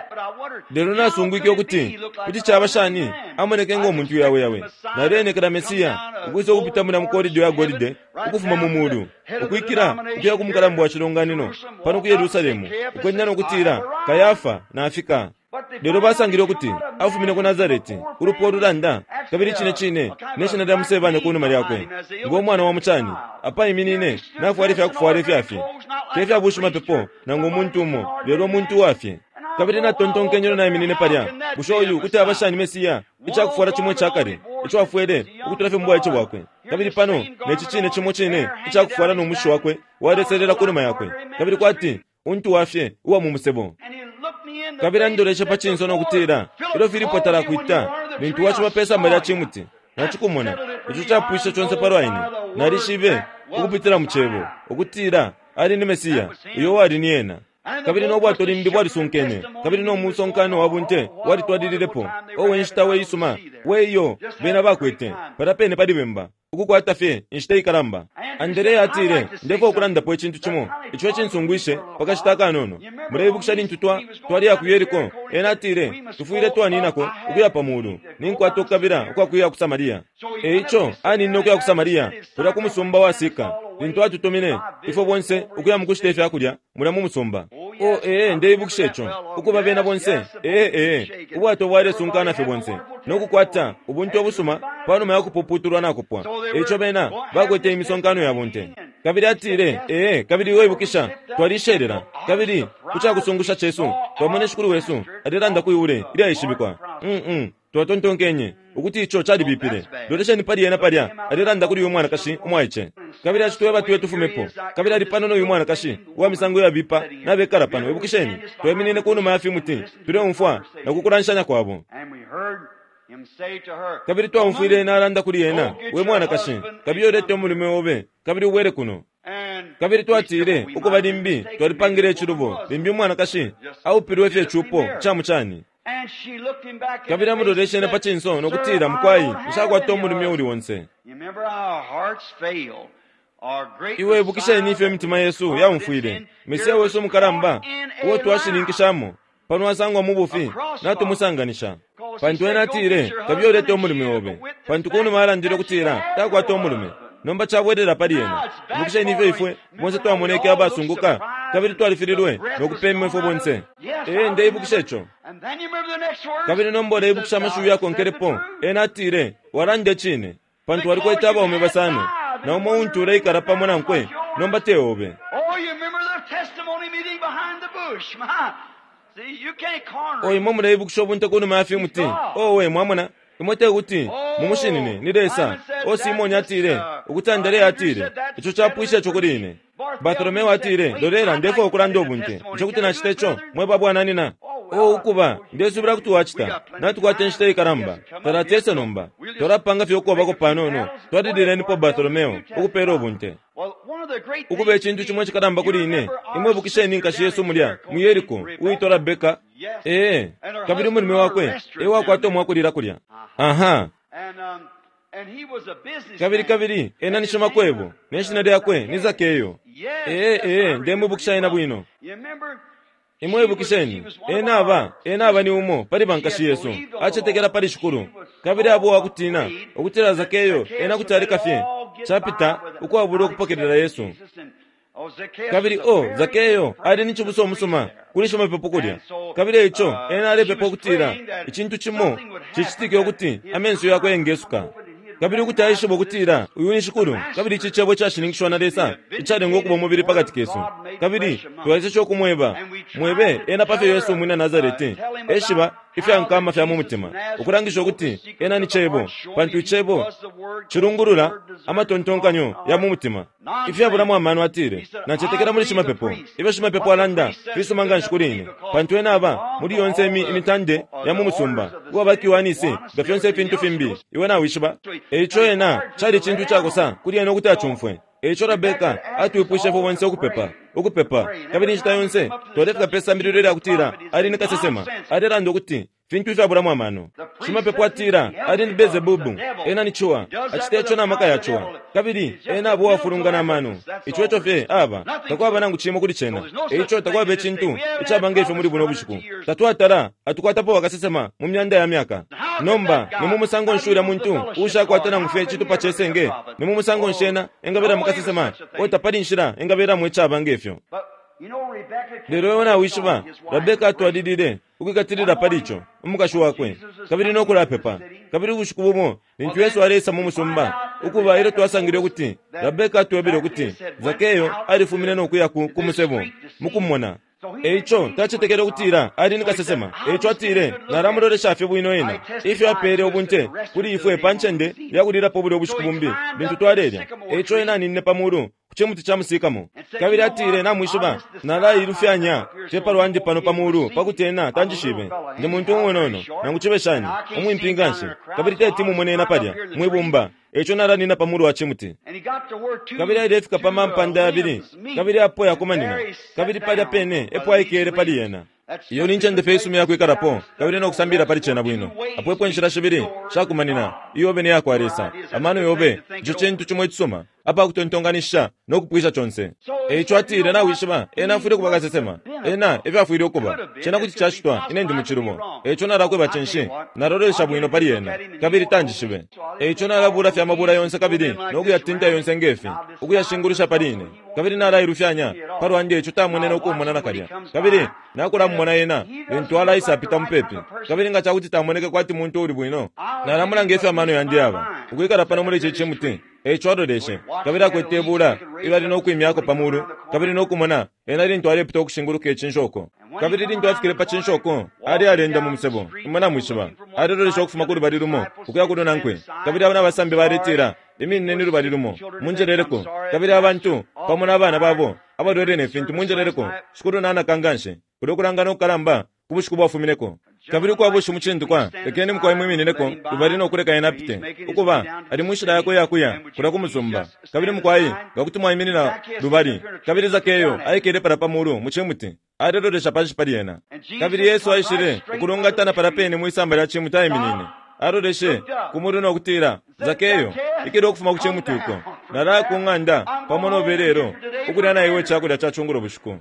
Lelo nasungwike ukuti kuti caba shani amoneke ngo muntu yaweyawe. Naleenekela Mesiya ukwisa ukupita mulya mu korido ya golide ukufuma mu mulu, ukwikila ukuya ku mukalamba wa cilonganino pano ku Yerusalemu, ukwenda no kutila, Kayafa nafika. Lelo basangile ukuti afumine ku Nasareti, ulupwa ululanda, kabili cine cine ne shina lya musebanya ku numa lyakwe, ngo mwana wa mucani. Apaiminine nafwala ifya kufwala ifya fye, te fya bushimapepo nangu umuntu umo, lelo umuntu uwa fye. Kabili natontonkenye ilyo naiminine palya, Bushe uyu kuti aba shani Mesia? Ica kufwala cimo ica kale ico afwele ukutula fye mu bwaice bwakwe, kabili pano ne ci cine cimo cine ica kufwala no mushi wakwe waleselela ku numa yakwe, kabili kwati untu wa fye uwa mu musebo. Kabili andoleshe pa cinso no kutila, Ilyo Filipo talakwita, lintu waciba pe samba lya cimuti, nacikumona. Ico capwishe conse palwa ine. Nalishibe, ukupitila mu Cebo, ukutila Ali ni Mesia, uyo uwali ni Ena. Kabili no bwato limbi bwalisunkene, kabili no musonkano wa bunte walitwalililepo. Owe, inshita we isuma we iyo bena bakwete, palya pene pali bemba, ukukwata fye inshita ikalamba. Anderea atile, Ndefwaya ukulandapo icintu cimo ico icinsungwishe pa kashita akanono. Muleibukisha lintu twa, twaleya ku Yeriko? Ena atile, Tufwile twaninako ukuya pa mulu. Ninkwata ukukabila ukwa kuya ku Samaria. E ico aninine ukuya ku Samaria, kulya ku musumba wa Sika, lintu atutumine ifwe bonse ukuya mukushita ifya kulya mulya mu musumba. Oh, ee, ndeibukisha ico. Ukuba bena bonse, ee, ee, ubwato bwalesunkana fye bonse, no kukwata ubunte ubusuma panuma ya kupuputulwa nakupwa. E ico bena bakwete imisonkano ya bunte. Kabili atile, Ee, kabili iwe ibukisha, twalishelela. Kabili, ku cakusungusha cesu, twamwene Shikulu wesu alelanda kwi ule ilyaishibikwa. Um-um. Twatontonkenye ukuti ico calibipile. Lolesheni pali ena palya, alelanda kuli uyu mwanakashi umwaice. Kabili acitweba tuye tufumepo. Kabili ali pano no yu mwanakashi uwa misango iyabipa nabekala pano. Ibukisheni, twaiminine ku numa ya fimuti, tuleumfwa na ku kulanshanya kwabo. Kabili twaumfwile ena alanda kuli ena, We mwanakashi, kabiye ulete umulume obe, kabili ubwele kuno. Kabili twatile, Ukuba, limbi twalipangile icilubo. Limbi umwanakashi aupilwe fye icupo ca mucani. Kabili amuloleshe na pa cinso no kutila, Mukwai, nshakwata umulume uuli onse. Iwe ibukisheni ifyo imitima yesu yaumfwile. Mesia wesu umukalamba, uo twashininkishamo, pano asangwa mu bufi, natumusanganisha. Pantu ena atile, Kabiye ulete umulume obe. Pantu ku numa alandile ukutila takwata umulume. Nomba cabwelela pali ena. Ibukisheni ifyo ifwe bonse twamoneke abasunguka kabili twalifililwe no kupemwa ifwe bonse. Ee, ndeibukisha ico. Kabili nomba uleibukisha amashiwi yakonkelepo? Ena atile, Walanda icine, pantu walikwete abaume basano, na umo untu uleikala pamo nankwe nomba te obe. O, imwe muleibukisha ubunte ku numa ya fimuti? Owe, mwamona? Imwe te kuti mumushinine, ni Lesa. O Simone atile, ukuti Andrea atile, Ico capwisha ico kuli ine. Bartolomeo atile, Lolela, ndefwaya ukulanda ubunte. Bushe kuti nacita ico, mwe ba bwananina? O, ukuba, ndesubila kuti wacita. Natukwata inshita ikalamba. Talatese nomba. Twalapanga fye ukobako panono. Twalililenipo Bartolomeo ukupela ubunte. Ukuba icintu cimo icikalamba kuli ine, imwe ibukisheni nkashi yesu mulya mu Yeriko, uwitwa Rabeka? Ee, kabili umulume wakwe e wakwata umwakulila kulya. Aha. Kabili, kabili ena ni shimakwebo, ne shina lyakwe ni Zakeyo. Ee, ee, ndemwibukisha ena bwino. Imwe ibukisheni, ena aba, ena aba ni umo pali bankashi yesu, acetekela pali Shikulu. Kabili aba uwakutina ukutila Zakeyo ena kuti aleka fye capita ukwabula ukupokelela Yesu. Kabili, oh, Zakeyo ali ni cibusa umusuma kuli shimapepo kulya. Kabili eico ena alepepa ukutila icintu cimo cicitike ukuti amenso yakwe yengesuka. Kabili ukuti aishiba ukutila uyu ni Shikulu, kabili ici Cebo icashininkishiwa na Lesa icalengwa ukuba umubili pakati kesu. Kabili twaeseshe ukumweba, mwebe ena pafyo Yesu umwina Nasareti eshiba ifya nkama fya mu mutima, ukulangisha ukuti Ena ni Cebo, pantu Icebo cilungulula amatontonkanyo ya mu mutima. Ifyabulamo amano atile, Nacetekela muli shimapepo. Ifyo shimapepo alanda fisuma nga nshi kuli ine, pantu ena aba muli yonse imi imitande ya mu musumba, uwaba Kiwanisi, nga fyonse ifintu fimbi, iwe nawishiba. E ico ena, cali icintu icakosa kuli ena ukuti acumfwe. E ico Rabeka atwipwishe ifwe bonse ukupepa, ukupepa. Kabili inshita yonse twalefika pe sambililo ilya kutila ali ni kasesema, alelanda ukuti. Fintu ifyabulamo amano. Shimapepo atila ali ni Bezebubu, ena ni ciwa, acita ico na maka ya ciwa, kabili ena aba uwafulungana amano. Ico eco fye aba, takwaba nangu cimo kuli cena. Eico takwaba icintu icaba nge fyo muli buno bushiku. Tatwatala atukwatapo bakasesema mu myanda ya myaka. Nomba ni mu musango nshi ulya muntu uushakwata nangu fye icitupa ce senge? Ni mu musango nshi ena engabelamo kasesema? O tapali inshila engabelamo icaba nge fyo. Lelo iwe nawishiba, Rabeka atwalilile ukwikatilila pali ico, umukashi wakwe, kabili no kulapepa. Kabili ubushiku bumo lintu Yesu aleisa mu musumba, ukuba ilyo twasangile ukuti Rabeka atwebele ukuti Zakeyo alifumine no kuya ku, ku musebo mu kumona. E ico tacetekele ukutila ali ni kasesema. E ico atile, Nalamulolesha fye bwino ena, ifyo apeele ubunte kuli ifwe pa ncende ya kulilapo bulya ubushiku bumbi lintu twalelya. E ico ena aninine pa mulu ku cimuti ca musikamo. Kabili atile, Namwishiba, nalailufyanya fye pa lwandi pano pa mulu pa kuti ena tanjishibe. Ndi muntu umunono, nangu cibe shani, umwimpi nganshi, kabili teti mumone ena palya mwi bumba. E ico nalanina pa mulu wa cimuti. Kabili ailefika pa mampanda yabili, kabili apo yakumanina, kabili palya pene epo aikele pali yena. Iyo ni ncende fye isuma iyakwikalapo kabili no kusambilila pali cena bwino. Apo epo inshila shibili shakumanina, iyobe ne ya kwa Lesa. Amano yobe, ico cintu cimo icisuma, apa kutontonkanishisha no kupwisha conse. E ico atile, Nawishiba, ena afwile ukuba kasesema. Ena efyo afwile ukuba. Cena kuti cacitwa, ine ndi mu cilubo. E ico nalakweba cinshi? Nalolesha bwino pali ena, kabili tanjishibe. E ico nalabula fye amabula yonse kabili no kuyatinta yonse nge fi, ukuyashingulusha pali ine. Kabili nalailufyanya palwandi eico tamwene no kumona nakalya. Kabili nakulamumona ena lintu alaisa apita mupepi. Kabili nga cakuti tamoneke kwati muntu uuli bwino, nalamulanga ifyo amano yandi yaba, ukwikala pano muli ici cimuti. Eico aloleshe, kabili akwete ibula ilyo ali no kwimyako pa mulu, kabili no kumona ena lintu alepita ukushinguluka icinshoko. Kabili lintu afikile pa cinshoko, ali aleenda mu musebo, imwe namwishiba, alelolesha ukufuma ku lubali lumo ukuya ku lunankwe. Kabili abo nabasambi baletila, Iminineni lubali lumo, munjeleleko. Kabili abantu, pamo na bana babo abalwele ne fintu, munjeleleko. Shikulu nanaka nganshi kulyo kulangana ukukalamba ku bushiku bwafumineko. Kabili ukwaba ushimucindikwa, lekeni mukwai mwiminineko lubali no kuleka ena apite. Ukuba, ali mu nshila yakwe iya kuya kulya ku musumba. Kabili mukwai, nga kuti mwaiminina lubali. Kabili Zakeyo aikele palya pa mulu mu cimuti, alelolesha panshi pali ena. Kabili Yesu aishile ukulungatana palya pene mwisamba lya cimuti aiminine. Aloleshe ku mulu no kutila, Zakeyo, ikila ukufuma ku cimuti uko. Nalaya ku ng'anda pamo nobe lelo ukulya na iwe icakulya ca cungulo bushiku.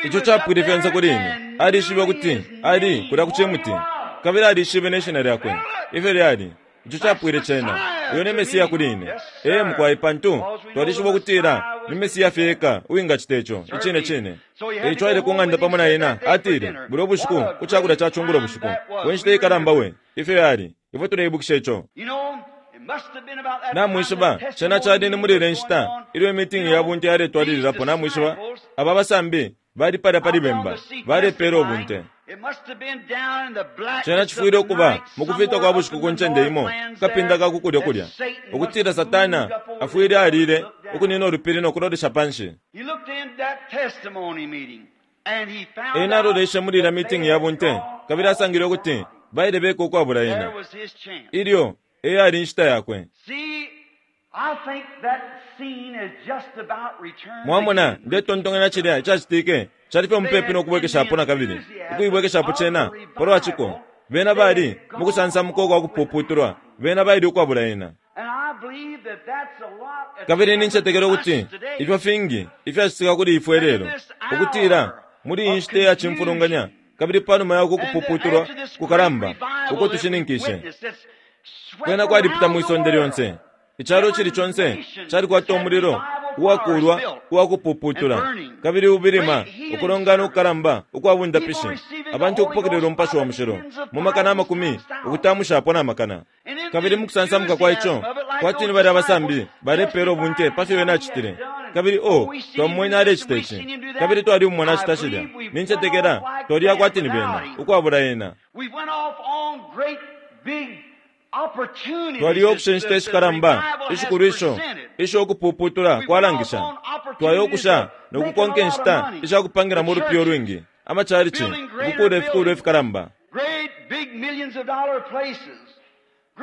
Ico capwile fyonse kuli ine. Alishibe ukuti ali kulya ku cimuti, kabili alishibe ne shina lyakwe ifyo lyali. Ico capwile cena. Uyo ni Mesiya kuli ine. Ee, mukwai, pantu twalishiba ukutila ni Mesiya fye eka uwingacita ico. Icine cine. E ico aile ku ng'anda pamo na ena, atile, Bulya ubushiku ku cakulya ca cungulo bushiku, we nshita ikalamba we, ifyo yali! Ifwe tuleibukisha ico. Namwishiba, cena cali ni muli ilya nshita ilyo imitingi ya bunte yaletwalililapo, namwishiba, aba basambi bali palya pali bemba, balepela ubunte. Cena cifwile ukuba mukufita kwa bushiku ku ncende imo ku kapinda ka ku kulyo kulya, ukutila Satana afwile alile ukunina ulupili no kulolesha panshi. Ena aloleshe muli ilya mitingi ya bunte kabili asangile ukuti baile beka ukwabula ena. Ilyo e yali inshita yakwe. Mwamona, ndetontonkanya cilya icacitike cali fye mupepi no kubwekeshapo nakabili, ukuibwekeshapo cena palwa ciko. Bena bali mukusansamuka ukwa kupuputulwa, bena baile ukwabula ena. Kabili nincetekela ukuti ifyo fingi ifyacitika kuli ifwe ilelo, ukutila muli iyi nshita iya cimfulunganya, kabili panuma ya uku kupuputulwa kukalamba uko tushininkishe, kwena kwalipita mwi sonde lyonse. Icalo icili conse calikwata umulilo uwakuulwa uwa kupuputula, kabili ubilima ukulongana ukukalamba ukwa bundapishi, abantu ukupokelela Umupashi wa Mushilo mu makana amakumi ukutamushapo na makana. Kabili mu kusansamuka kwa ico, kwati ni balya abasambi balepeela ubunte pa fyo ena acitile, kabili oh, twamumwene alecita ici, kabili twalimumona acita cilya. Nincetekela twaliya kwati ni bena, ukwabula ena. Twaliyo ukusha inshita ishikalamba ishikulu isho isho ukupuputula kwalangisha. Twayo ukusha no kukonka inshita isha kupangilamo ulupiya ulwingi, amacalici, ukukuula ifikuulwa ifikalamba,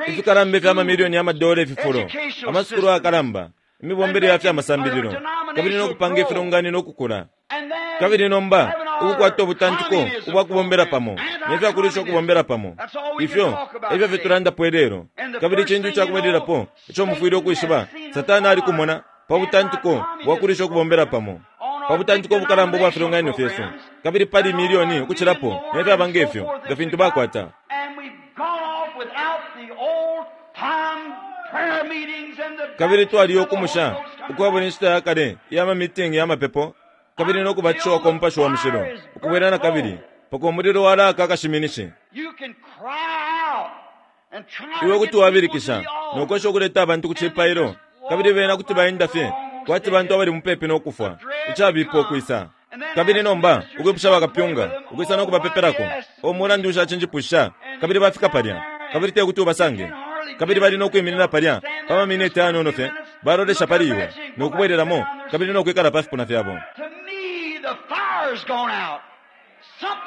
ifikalamba ifya mamilioni ya madola ififulo, amasukulu ayakalamba, imibombele ya fya masambililo, kabili no kupanga ifilonganino ukukula. Kabili nomba ukukwata ubutantiko ubwa kubombela pamo ne fya kulwisha ukubombela pamo. Ifyo e fyo fye tulandapo ilelo. Kabili icintu ica kubalilapo ico mufwile ukwishiba, Satana alikumona pa butantiko bwa kulwisha ukubombela pamo, pa butantiko ubukalamba ubwa filonganino fyesu, kabili pali milioni ukucilapo ne fyaba nge fyo, nga fintu bakwata. Kabili twaliyo ukumusha ukwabula inshita ya kale iya mamitingi ya mapepo kabili no kubatishiwa kwa Mupashi wa Mushilo, ukubwela na kabili mpaka umulilo walaaka akashiminishi. Iwe kuti wabilikisha no kwesha ukuleta abantu ku cipailo, kabili bena kuti baenda fye kwati bantu abali mupepi no kufwa, icabipa ukwisa. Kabili nomba ukwipusha bakapyunga ukwisa no kubapepelako, o mulandu ushacinjipusha, kabili bafika palya, kabili te kuti ubasange. Kabili bali no kwiminina palya pa maminiti ayanono fye, balolesha pali iwe, no kubwelelamo kabili no kwikala pa fipuna fyabo.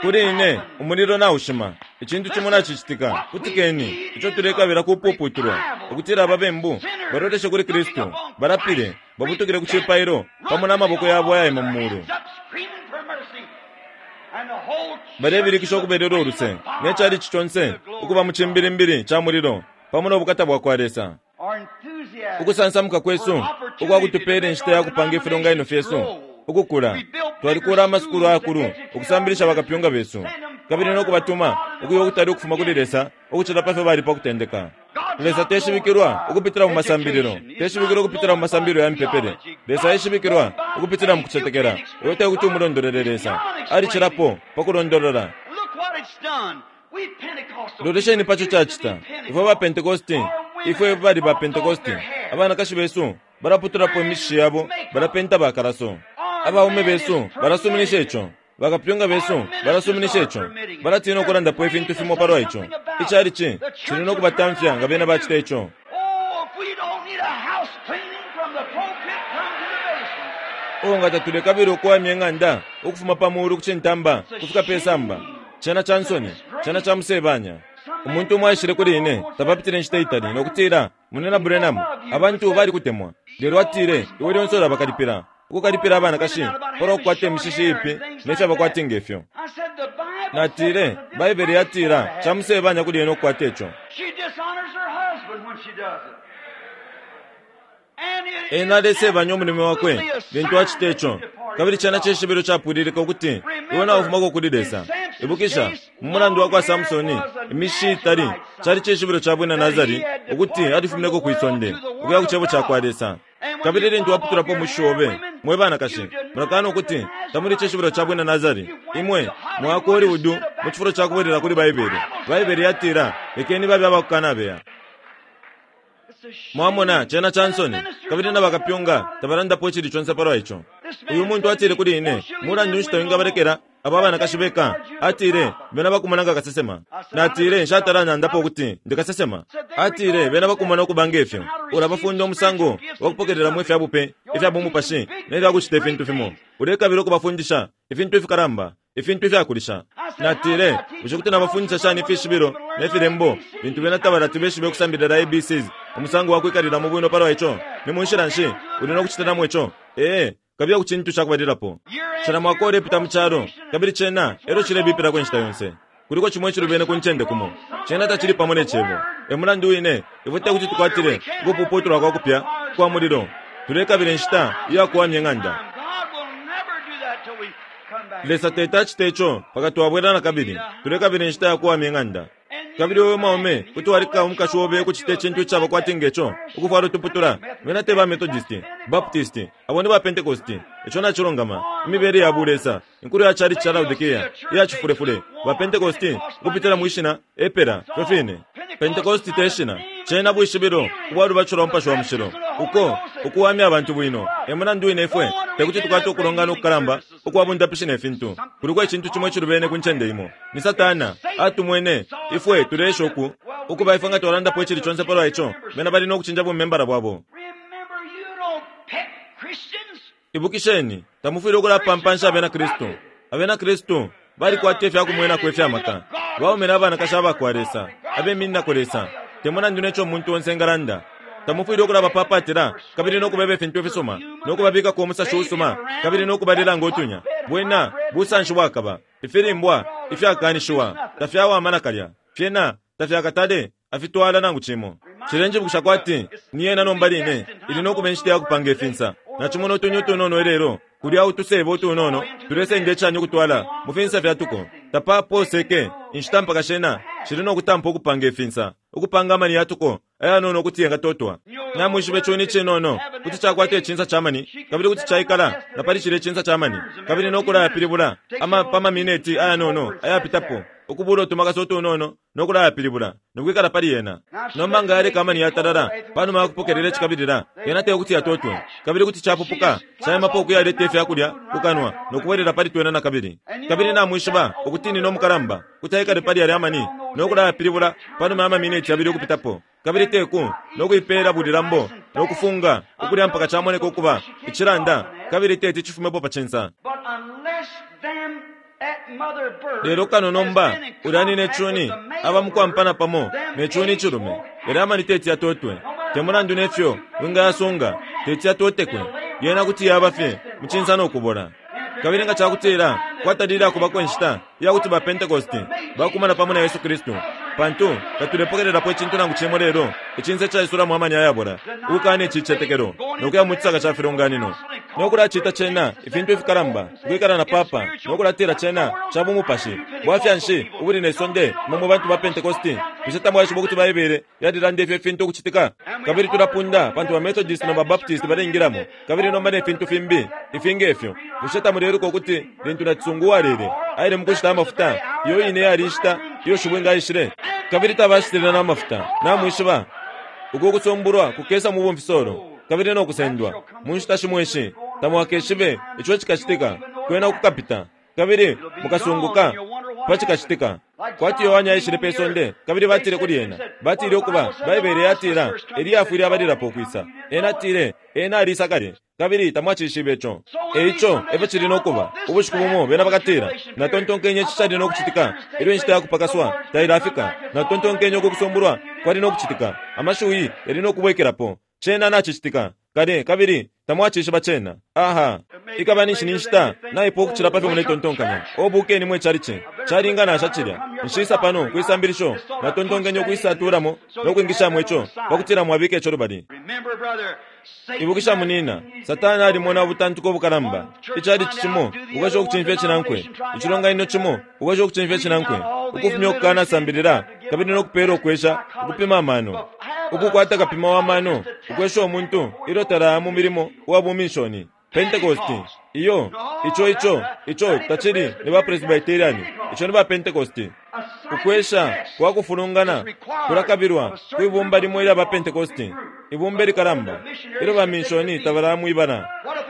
Kuli ine, umulilo naushima. Icintu cimo nacicitika. Kutikeni, ico tulekabila kupuputulwa, ukutila ababembu baloleshe kuli Kristu, balapile, babutukile ku cipailo pamo na maboko yabo ayaima mu mulu, balebilikisha ukubelelwa uluse, ne calici conse ukuba mu cimbilimbili ca mulilo pamo no bukata bwa kwa Lesa. Ukusansamuka kwesu ukwa kutupeela inshita ya kupanga ifilonganino fyesu ukukula. Twalikuula amasukulu ayakulu ukusambilisha bakapyunga besu kabili no kubatuma ukuya ukutali ukufuma kuli Lesa ukucila pa fyo bali pa kutendeka. Lesa teshibikilwa ukupitila mu masambililo, teshibikilwa ukupitila mu masambililo ya mipepele. Lesa aishibikilwa ukupitila mu kucetekela. Iwe te kuti umulondolele Lesa. Alicilapo pa kulondolola. Lolesheni pa co cacita. Ifwe ba Pentekoste, ifwe bali ba Pentekoste, abanakashi besu balaputulapo imishishi yabo, balapenta bakalaso. Abaume besu balasuminisha ico. Bakapyunga besu balasuminisha ico. Balatina ukulandapo ifintu fimo palwa ico. Icalici cili no kubatamfya nga bena bacita ico. Oh, nga tatulekabila ukuwamya ing'anda ukufuma pa muulu ku cintamba kufika pe samba. Cena ca nsoni, cena ca musebanya. Umuntu umo aishile kuli ine tapapitile inshita itali no kutila, Munyina Branham, abantu balikutemwa. Lelo atile, iwe lyonse ulabakalipila, ukukalipila abanakashi palwa kukwata imishishi iipi ne fyaba kwati nge fyo. Natile, Baibele yatila ca musebanya kuli ena ukukwata ico. Ena alesebanya umulume wakwe lintu acita ico, kabili cena cishibilo capwililika ukuti iwe naufumako kuli Lesa. Ibukisha, mu mulandu wa kwa Samsoni, imishishi iitali cali cishibilo ca bwina Nasari ukuti alifumineko kwi sonde ukuya ku Cebo ca kwa Lesa. Kabili lintu waputulapo umushishi obe, mwe banakashi, mulakaana ukuti tamuli cishibilo ca bwina Nasari. Imwe mwaya ku Hollywood mu cifulo ca kubwelela kuli Baibele. Baibele yatila, Lekeni babe abakukanabeya. Mwamona, cena ca nsoni, kabili na bakapyunga tabalandapo icili conse palwa ico. Uyu muntu atile kuli ine, Mulandu nshi tawingabalekela aba abanakashi beka? Atile, Bena bakumona nga kasesema. Natile, Nshatala nandapo ukuti ndi kasesema. Atile, Bena bakumona ukuba nge fyo. Ulabafunda umusango wa kupokelelamo ifya bupe ifya bumupashi ne fya kucita ifintu fimo. Ulekabila ukubafundisha ifintu ifikalamba. ifintu ifyakulisha. Natile, Bushe kuti nabafundisha shani ifishibilo ne filembo lintu bena tabalati beshibe ukusambilila ABCs, umusango wa kwikalilamo bwino palwa ico? Ni mu nshila nshi uli no kucitilamo ico? Ee, kabiye ku cintu ca kubalilapo. Cila mwaka ulepita mu calo, kabili cena elyo cilebipilako inshita yonse. Kuliko cimo icilubene ku ncende kumo. Cena tacili pamo ne Cebo. E mulandu wine ifwe tekuti tukwatile ukupuputulwa kwa kupya kwa mulilo. Tulekabila inshita iya kuwamya ing'anda. Lesa teti acite ico mpaka twabwela na kabili. Tulekabila inshita ya kuwamya ing'anda. Kabili iwe we mwaume kuti waleka umukashi obe ukucita icintu icaba kwati nge co, ukufwala utuputula. Bena te ba Methodist, Baptist, abo ni ba Pentecost. Ico nacilungama. Imibele ya bulesa, inkulo ya chalichi ca Laodikea, iya cifulefule, ba Pentecost, ukupitila mwi shina, epela, ifyo fine. Pentecost te shina. Cena bwishibilo ubwa lubatisho lwa Mupashi wa Mushilo, uko ukuwamya abantu bwino. E mulandu wine ifwe tekuti tukwate ukulongana ukukalamba ukwa bundapishi ne fintu. Kuliko icintu cimo icilubene ku ncende imo. Ni Satana atumwene ifwe tuleesha uku, ukuba ifwe nga twalandapo icili conse palwa ico, bena bali no kucinja bumembala bwabo. Ibukisheni, tamufwile ukulapampansha Abena Kristu. Abena Kristu balikwata ifya kumwenako ifya maka. Baume na banakashi aba kwa Lesa, abemininako Lesa, te mulandu ne co umuntu onse engalanda. Tamufwile ukulabapapatila kabili no kubeba ifintu ifisuma, no kubabikako umusashi usuma kabili no kubalila ngo tunya. Bwena busanshi bwakaba. Ifilimbwa ifyakanishiwa tafyawama nakalya. Fyena tafyakatale afitwala nangu cimo. Cilenjibukisha kwati ni yena nomba line ili no kuba inshita ya kupanga ifinsa. Nacimona utunya utunono ilelo, kulya utusebo utunono tulesenda icani ukutwala mu finsa fya tuko. Tapapooseke inshita mpaka shena shili no kutampa ukupanga ifinsa, ukupanga amani ya tuko ayanono ukuti yengatotwa. Namwishiba icuni icinono kuti cakwata icinsa ca mani, kabili kuti caikala na pali cilya icinsa ca mani, kabili no kulayapilibula ama pa mamineti ayanono ayapitapo, ukubuula utumakasa utunono no kulayapilibula, no kwikala pali yena. Nomba nga yaleka amani yatalala panuma ya kupokelela icikabilila, yena te kuti yatotwe, kabili kuti capupuka caimapo ukuyaleta ifya kulya ku kanwa no kubwelela pali twena na kabili. Kabili namwishiba ukuti nina umukalamba kuti aikale pali yalya amani no kulayapilibula panuma ya mamineti yabili ukupitapo, kabili te ku no kuipeela bulilambo no kufunga ukulya mpaka camoneka ukuba icilanda, kabili teti cifumepo pa cinsa. Lelo kano nomba ulya nina icuni aba mu kwampana pamo ne cuni icilume, yalya amani teti yatotwe. Te mulandu ne fyo wingayasunga, teti yatotekwe. Yena kuti yaba fye mu cinsa no kubola. Kabili nga ca kutila kwatalile akubako inshita iya kuti ba Pentekoste bakumana pamo na Yesu Kristu, pantu tatulepokelelapo icintu nangu cimo lelo icinsa icaisulamo amani ayabola, ukukaana icicetekelo, no kuya mu cisaka ca filonganino, no kulacita cena ifintu ifikalamba, ukwikala na papa, no kulatila cena ca bumupashi. Bwafya nshi ubuli ne sonde, imwe mwe bantu ba Pentekoste? Bushe tamwaishiba ukuti Baibele yalilanda ifyo ifintu ukucitika? Kabili tulapunda pantu ba Methodist na ba Baptist baleingilamo, kabili nomba ne fintu fimbi ifi nge fyo. Bushe tamuleiluka ukuti lintu nacisungu uwalele aile mukushita amafuta, iyo ine yali inshita iyo shibwinga aishile? Kabili tabashitile na mafuta. Namwishiba, uku kusumbulwa kukesa mu bumfisolo kabili no kusendwa. Mu nshita shimo ishi tamwakeshibe ico cikacitika, kwena kukapita, kabili mukasunguka pa cikacitika. Kwati Yohane aishile pe sonde, kabili batile kuli ena, batile ukuba, Baibele yatila, Eliya afwile abalilapo ukwisa. Ena atile, Ena aliisa kale, kabili tamwacishibe ico. E ico efyo cili no kuba, ubushiku bumo bena bakatila, Natontonkenye ici cali no kucitika ilyo inshita ya kupakaswa tailafika. Natontonkenye uku kusumbulwa kwali no kucitika. Amashiwi yali no kubwekelapo. Cena nacicitika kale, kabili tamwacishiba cena. Aha! Ikaba ninshi ni nshita naipwa ukucila pa fyo muletontonkanya. O bukeni mwe chalichi! Calinga nasha cilya. Nshiisa pano kwi sambilisho. Natontonkenye ukwisatulamo no kwingishamo ico, pa kutila mwabika ico lubali. Ibukisha munina, Satana alimona ubutantuko ubukalamba. Icalici cimo ukwesha ukucimfya icinankwe, icilonganino cimo ukwesha ukucimfya icinankwe, ukufumya ukukanasambilila kabili no kupeela ukwesha ukupima amano, ukukwata kapima wa mano ukwesha umuntu ilyo talaya mu milimo uwa buminshoni. Pentekoste! Iyo, ico, ico, ico tacili ni ba Presbyterian, ico ni ba Pentekoste. Ukwesha kwa kufulungana kulakabilwa kwi bumba limo ilya ba Pentekoste, ibumba ilikalamba, ilyo ba minshoni tabalaya mwi bala.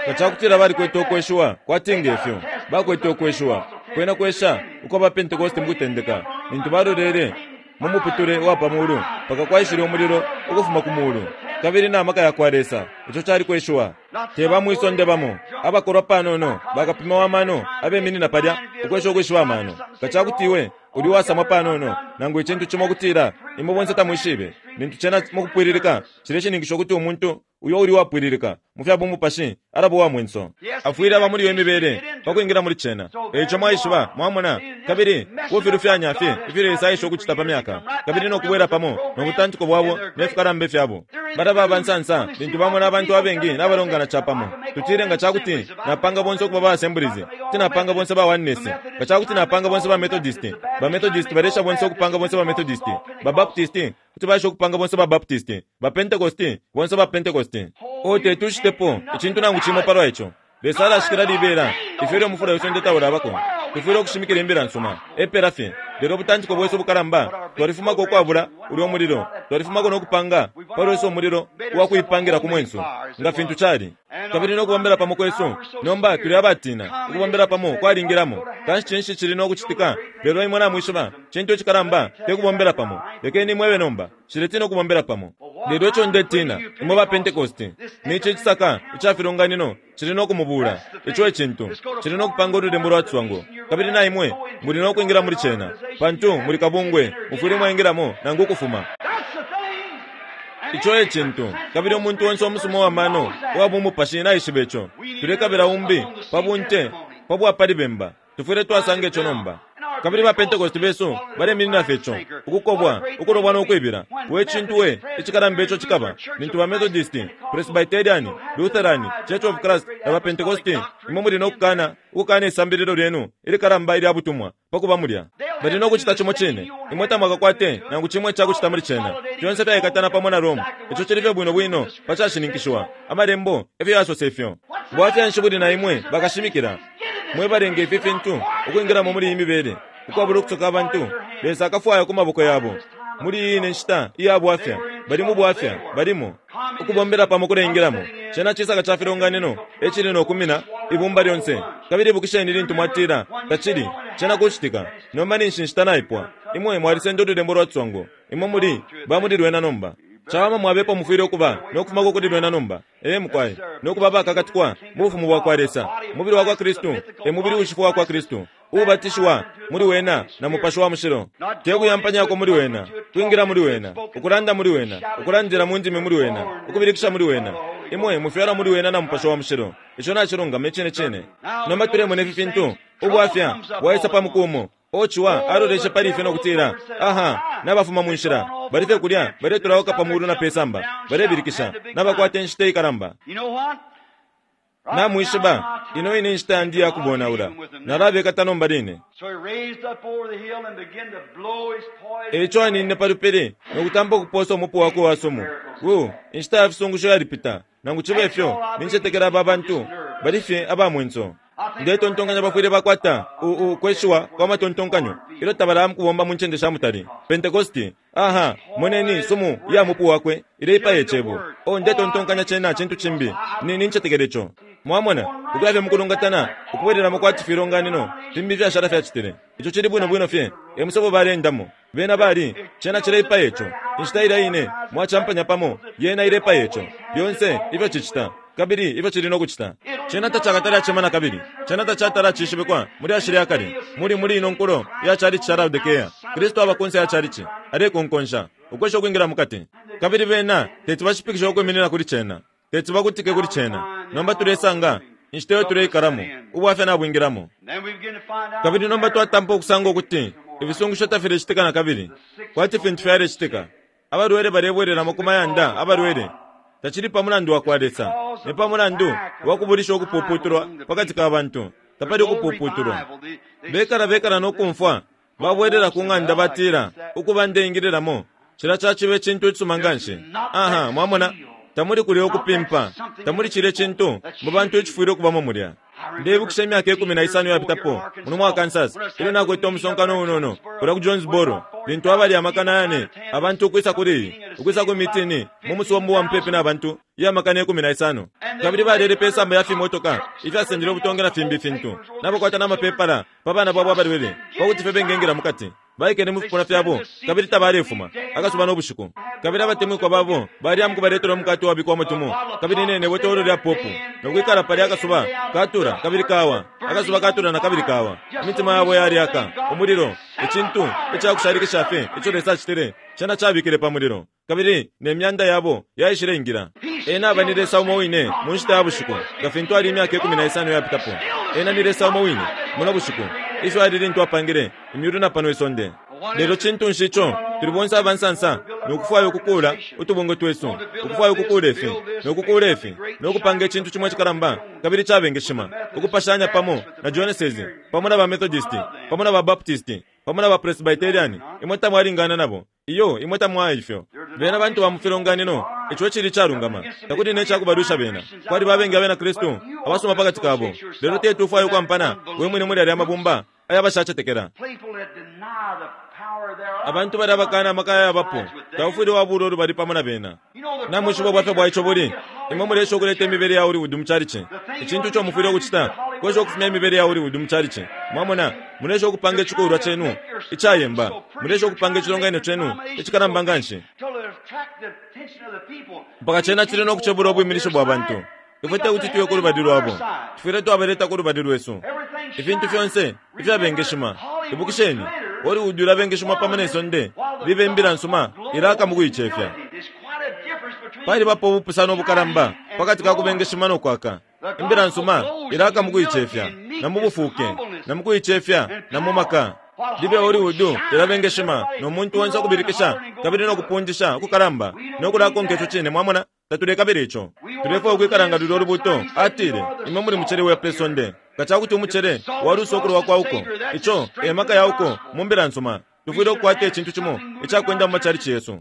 Nga ca kutila balikwete ukweshiwa kwati nge fyo bakwete ukweshiwa kwena kwesha ukwa ba Pentekoste mu kutendeka, lintu balolele mu muputule wa pa mulu mpaka kwaishile umulilo ukufuma ku mulu kabili na maka ya kwa Lesa. Ico cali kweshiwa. Te ba mwi sonde bamo abakolwa panono, bakapima wa mano abeminina palya ukwesha ukwishiba amano. Nga ca kuti iwe uli uwasamwa panono nangu icintu cimo ukutila imwe bonse tamwishibe, lintu cena mukupwililika cileshininkisha ukuti umuntu uyo uli uwapwililika mu fya bumupashi alaba uwa mwenso. Afwile aba muli iyo imibele pa kwingila muli cena. E ico mwaishiba, mwamona, kabili kufilufyanya fye ifyo Lesa aesha ukucita pa myaka, kabili no kubwela pamo no butantiko bwabo ne fikalamba ifyabo. Balaba aba nsansa lintu bamona abantu abengi nabalongana capamo. Tutile nga ca kuti napanga bonse ukuba ba Assemblies, kuti napanga bonse ba Oneness, nga ca kuti napanga bonse ba Methodist, ba Methodist balesha bonse ukupanga bonse ba Methodist, ba Baptist kuti baesha ukupanga bonse ba Baptist, ba Pentecost, bonse ba Pentecost. Oh, teti ucitepo icintu nangu cimo palwa ico. Lesa alashikila libela ifyo ilyo umufula we sonde taulabako. Tufwile ukushimikila Imbila nsuma. Epela fye. Lelo ubutantiko bwesu ubukalamba, twalifumako ukwabula ulyo mulilo. Twalifumako no kupanga pa lwesu umulilo uwa kuipangila ku mwensu, nga fintu cali. Kabili no kubombela pamo kwesu, nomba tuli abatina, ukubombela pamo kwalingilamo. Kanshi cinshi cili no kucitika? Lelo imwe namwishiba, cintu icikalamba te kubombela pamo. Lekeni imwebe nomba, nshiletina ukubombela pamo. Lelo ico ndetina, imwe ba Pentecosti, ni ici icisaka ica filonganino cili no kumubuula. Ico e cintu. Cili no kupanga ululembo lwa ciswango. Kabili na imwe muli no kwingila muli cena. Pantu muli kabungwe, mufwile mwaingilamo nangu ukufuma. Ico e cintu. Kabili umuntu onse umusuma uwa mano uwa bumupashi naishiba ico. Tulekabila umbi pa bunte pa bwa pali bemba. Tufwile twasanga ico nomba. Kabili ba Pentecost besu baleminina fye ico, ukukobwa, ukulobwa no kwibila. We cintu we icikalamba ico cikaba lintu ba Methodist, Presbyterian, Lutheran, Church of Christ na ba Pentecost imwe muli no kukana ukukana isambililo lyenu ilikalamba ilya butumwa pa kuba mulya. Bali no kucita cimo cine. Imwe tamwakakwate nangu cimo ica kucita muli cena. Fyonse fyaikatana pamo na Rome. Ico cili fye bwino bwino pa cashininkishiwa. Amalembo efyo yasosa ifyo. Bwafya nshi buli na imwe bakashimikila, mwe balenga ifi fintu ukwingilamo muli iyi mibele, ukwabula ukusoka abantu? Lesa akafwaya ku maboko yabo muli iyi ine nshita iya bwafya. Bali mu bwafya. Balimo. Ukubombela pamo kuleingilamo. Cena cisaka ca filonganino e cili no kumina ibumba lyonse. Kabili ibukisheni lintu mwatila, Tacili. Cena kucitika. Nomba ninshi inshita naipwa. Imwe mwalisenda ululembo lwa ciswango. Imwe muli ba muli lwena nomba. Cawama mwaba epo mufwile ukuba no kufumako kuli lwena nomba. Ee, mukwai. No kuba abakakatikwa mu Bufumu bwakwa Lesa. Umubili wakwa Kristu e mubili uushifwa wakwa Kristu, uubatishiwa muli wena na Mupashi wa Mushilo. Te kuyampanyako muli wena, kwingila muli wena, ukulanda muli wena, ukulandila mu ndimi muli wena, ukubilikisha muli wena. Imwe mufyalwa muli wena na Mupashi wa Mushilo. Ico nacilungama icine cine. Nomba tulemona ifi fintu, ubwafya bwaisa pa muku umo. O Ciwa aloleshe pali ifyo no kutila, Aha, nabafuma mu nshila. Bali fye kulya, baletulauka pa muulu na pe samba, balebilikisha, nabakwata inshita ikalamba. Namwishiba, ino ine nshita yandi iya kubonaula. Nalabekata nomba line. E ico aninine pa lupili no kutampa ukupoosa umupu wakwe uwa sumu. Wuu, inshita ya fisungusho yalipita. Nangu cibe fyo, nincetekela aba bantu bali fye aba mwenso. Ndetontonkanya bafwile bakwata u, u kweshiwa kwa matontonkanyo ilyo tabalaya mukubomba mu ncende sha mutali. Pentecosti, aha, moneni sumu iya mupu wakwe ileipaya Icebo. Oh, ndetontonkanya cena cintu cimbi. Ni, nincetekela ico. Mwamona, ukuya fye mukulungatana, ukubwelelamo kwati filonganino fimbi ifyashala fyacitile. Ico cili bwino bwino fye e musebo baleendamo. Bena bali, Cena cileipaya ico. Inshita ilya ine mwacampanya pamo, yena ilepaya ico. Lyonse ifyo cicita. Kabili ifyo cili no kucita. Cena tacakatale acema nakabili. Cena tacatala acishibikwa mu lyashi lya kale, muli muli ino nkulo ya chalichi ca Laodikea. Kristu aba kunse ya chalichi, alekonkonsha, ukwesha ukwingila mukati. Kabili bena teti bashipikishe ukwiminina kuli cena. Teti bakutike kuli cena. Nomba tulesanga, inshita iyo tuleikalamo, ubwafya nabwingilamo. Kabili nomba twatampa ukusanga ukuti ifisungusho tafilecitika nakabili, kwati fintu fyalecitika. Abalwele balebwelelamo ku mayanda, abalwele. Tacili pa mulandu wa kwa Lesa, ni pa mulandu wa kubulisha ukupuputulwa pa kati ka bantu. Tapali ukupuputulwa. Bekala bekala no kumfwa babwelela ku ng'anda batila, Ukuba ndeingililamo, cilya caciba icintu icisuma nga nshi. Aha, mwamona? Tamuli kulya ukupimpa, tamuli cilya cintu mu bantu icifwile ukubamo mulya. Ndeibukisha imyaka 15 iyapitapo, muno mu Arkansas, ilyo nakwete umusonkano unono kulya ku Jonesboro, lintu abali amakana yane abantu ukwisa kuli iyi, ukwisa ku mitini mu musumba uwa mupepi na bantu iya makana 15. Kabili balele pe samba ya fimotoka ifyasendele ubutonge na fimbi ifintu, nabakwata na mapepala pa bana babo abalwele, pa kuti fye bengengila mu kati. Baikele mu fipuna fyabo kabili tabalefuma, akasuba no bushiku. Kabili abatemwikwa babo baliya mu kubaletela umukate uwabikwamo tumo, kabili ne, ne botolo lya popu, no kwikala palya akasuba katula kabili kawa, akasuba katula na kabili kawa. Imitima yabo yaleaka umulilo, icintu ica kushalikisha fye ico Lesa acitile, cena cabikile pa mulilo, kabili ne myanda yabo yaishileingila. Ena aba ni Lesa umo wine mu nshita ya bushiku nga fintu ali imyaka 15 iyapitapo. Ena ni Lesa umo wine muno bushiku ifyo ali lintu apangile imyulu na pano isonde. Lelo cintu nshi ico tuli bonse aba nsansa no kufwaya ukukuula utubungwe twesu, ukufwaya ukukuula ifi, no kukuula ifi, no kupanga icintu cimo icikalamba kabili icabengeshima, ukupashanya pamo na Joneses, pamo na ba Methodist, pamo na ba Baptist, pamo na ba Presbyterian? Imwe tamwalingana nabo. Iyo, imwe tamwaya ifyo. Bena bantu ba mu filonganino. Ico icili icalungama. Takuli ne cakubalwisha bena. Kwaliba abengi abena Kristu abasuma pakati kabo. Lelo teti ufwaye ukwampana we mwine muli yalya mabumba aya bashacetekela. Abantu balya abakana amaka ayabapo, taufwile wabuula ulubali pamo na bena. Namwishiba ubwafya bwa ico buli? Imwe muleesha ukuleta imibele ya Hollywood mu chalichi. Icintu ico mufwile ukucita kwesha ukufumya imibele ya Hollywood mu chalichi. Mwamona? Muleesha ukupanga icikulwa cenu icayemba. Muleesha ukupanga icilonganino cenu icikalamba nganshi. Mpaka cena cili no kucebula ubwiminishi bwa bantu. Ifwe tekuti tuye ku lubali lwabo. Tufwile twabaleta ku lubali lwesu. Ifintu fyonse ifyabengeshima. Ibukisheni, Hollywood ulabengeshima pamo ne sonde libe imbila nsuma ilaka mu kuicefya. Palibapo ubupusano ubukalamba pakati ka kubengeshima no kwaka. Imbila nsuma ilaka mu kuicefya, na mu bufuuke, na mu kuicefya, na mu maka. Libe Hollywood ilabengeshima, no muntu onse ukubilikisha kabili no kupundisha ukukalamba no kulakonka ico cine. Mwamona? Tatulekabila ico. Tulefwaya ukwikala nga lulyo lubuto. Atile, Imwe muli mucele wa pe sonde. Nga ca kuti umucele walusa ukulowa kwa uko, ico e maka ya uko mu Mbila nsuma. Tufwile ukukwata icintu cimo ica kwenda mu macalici yesu,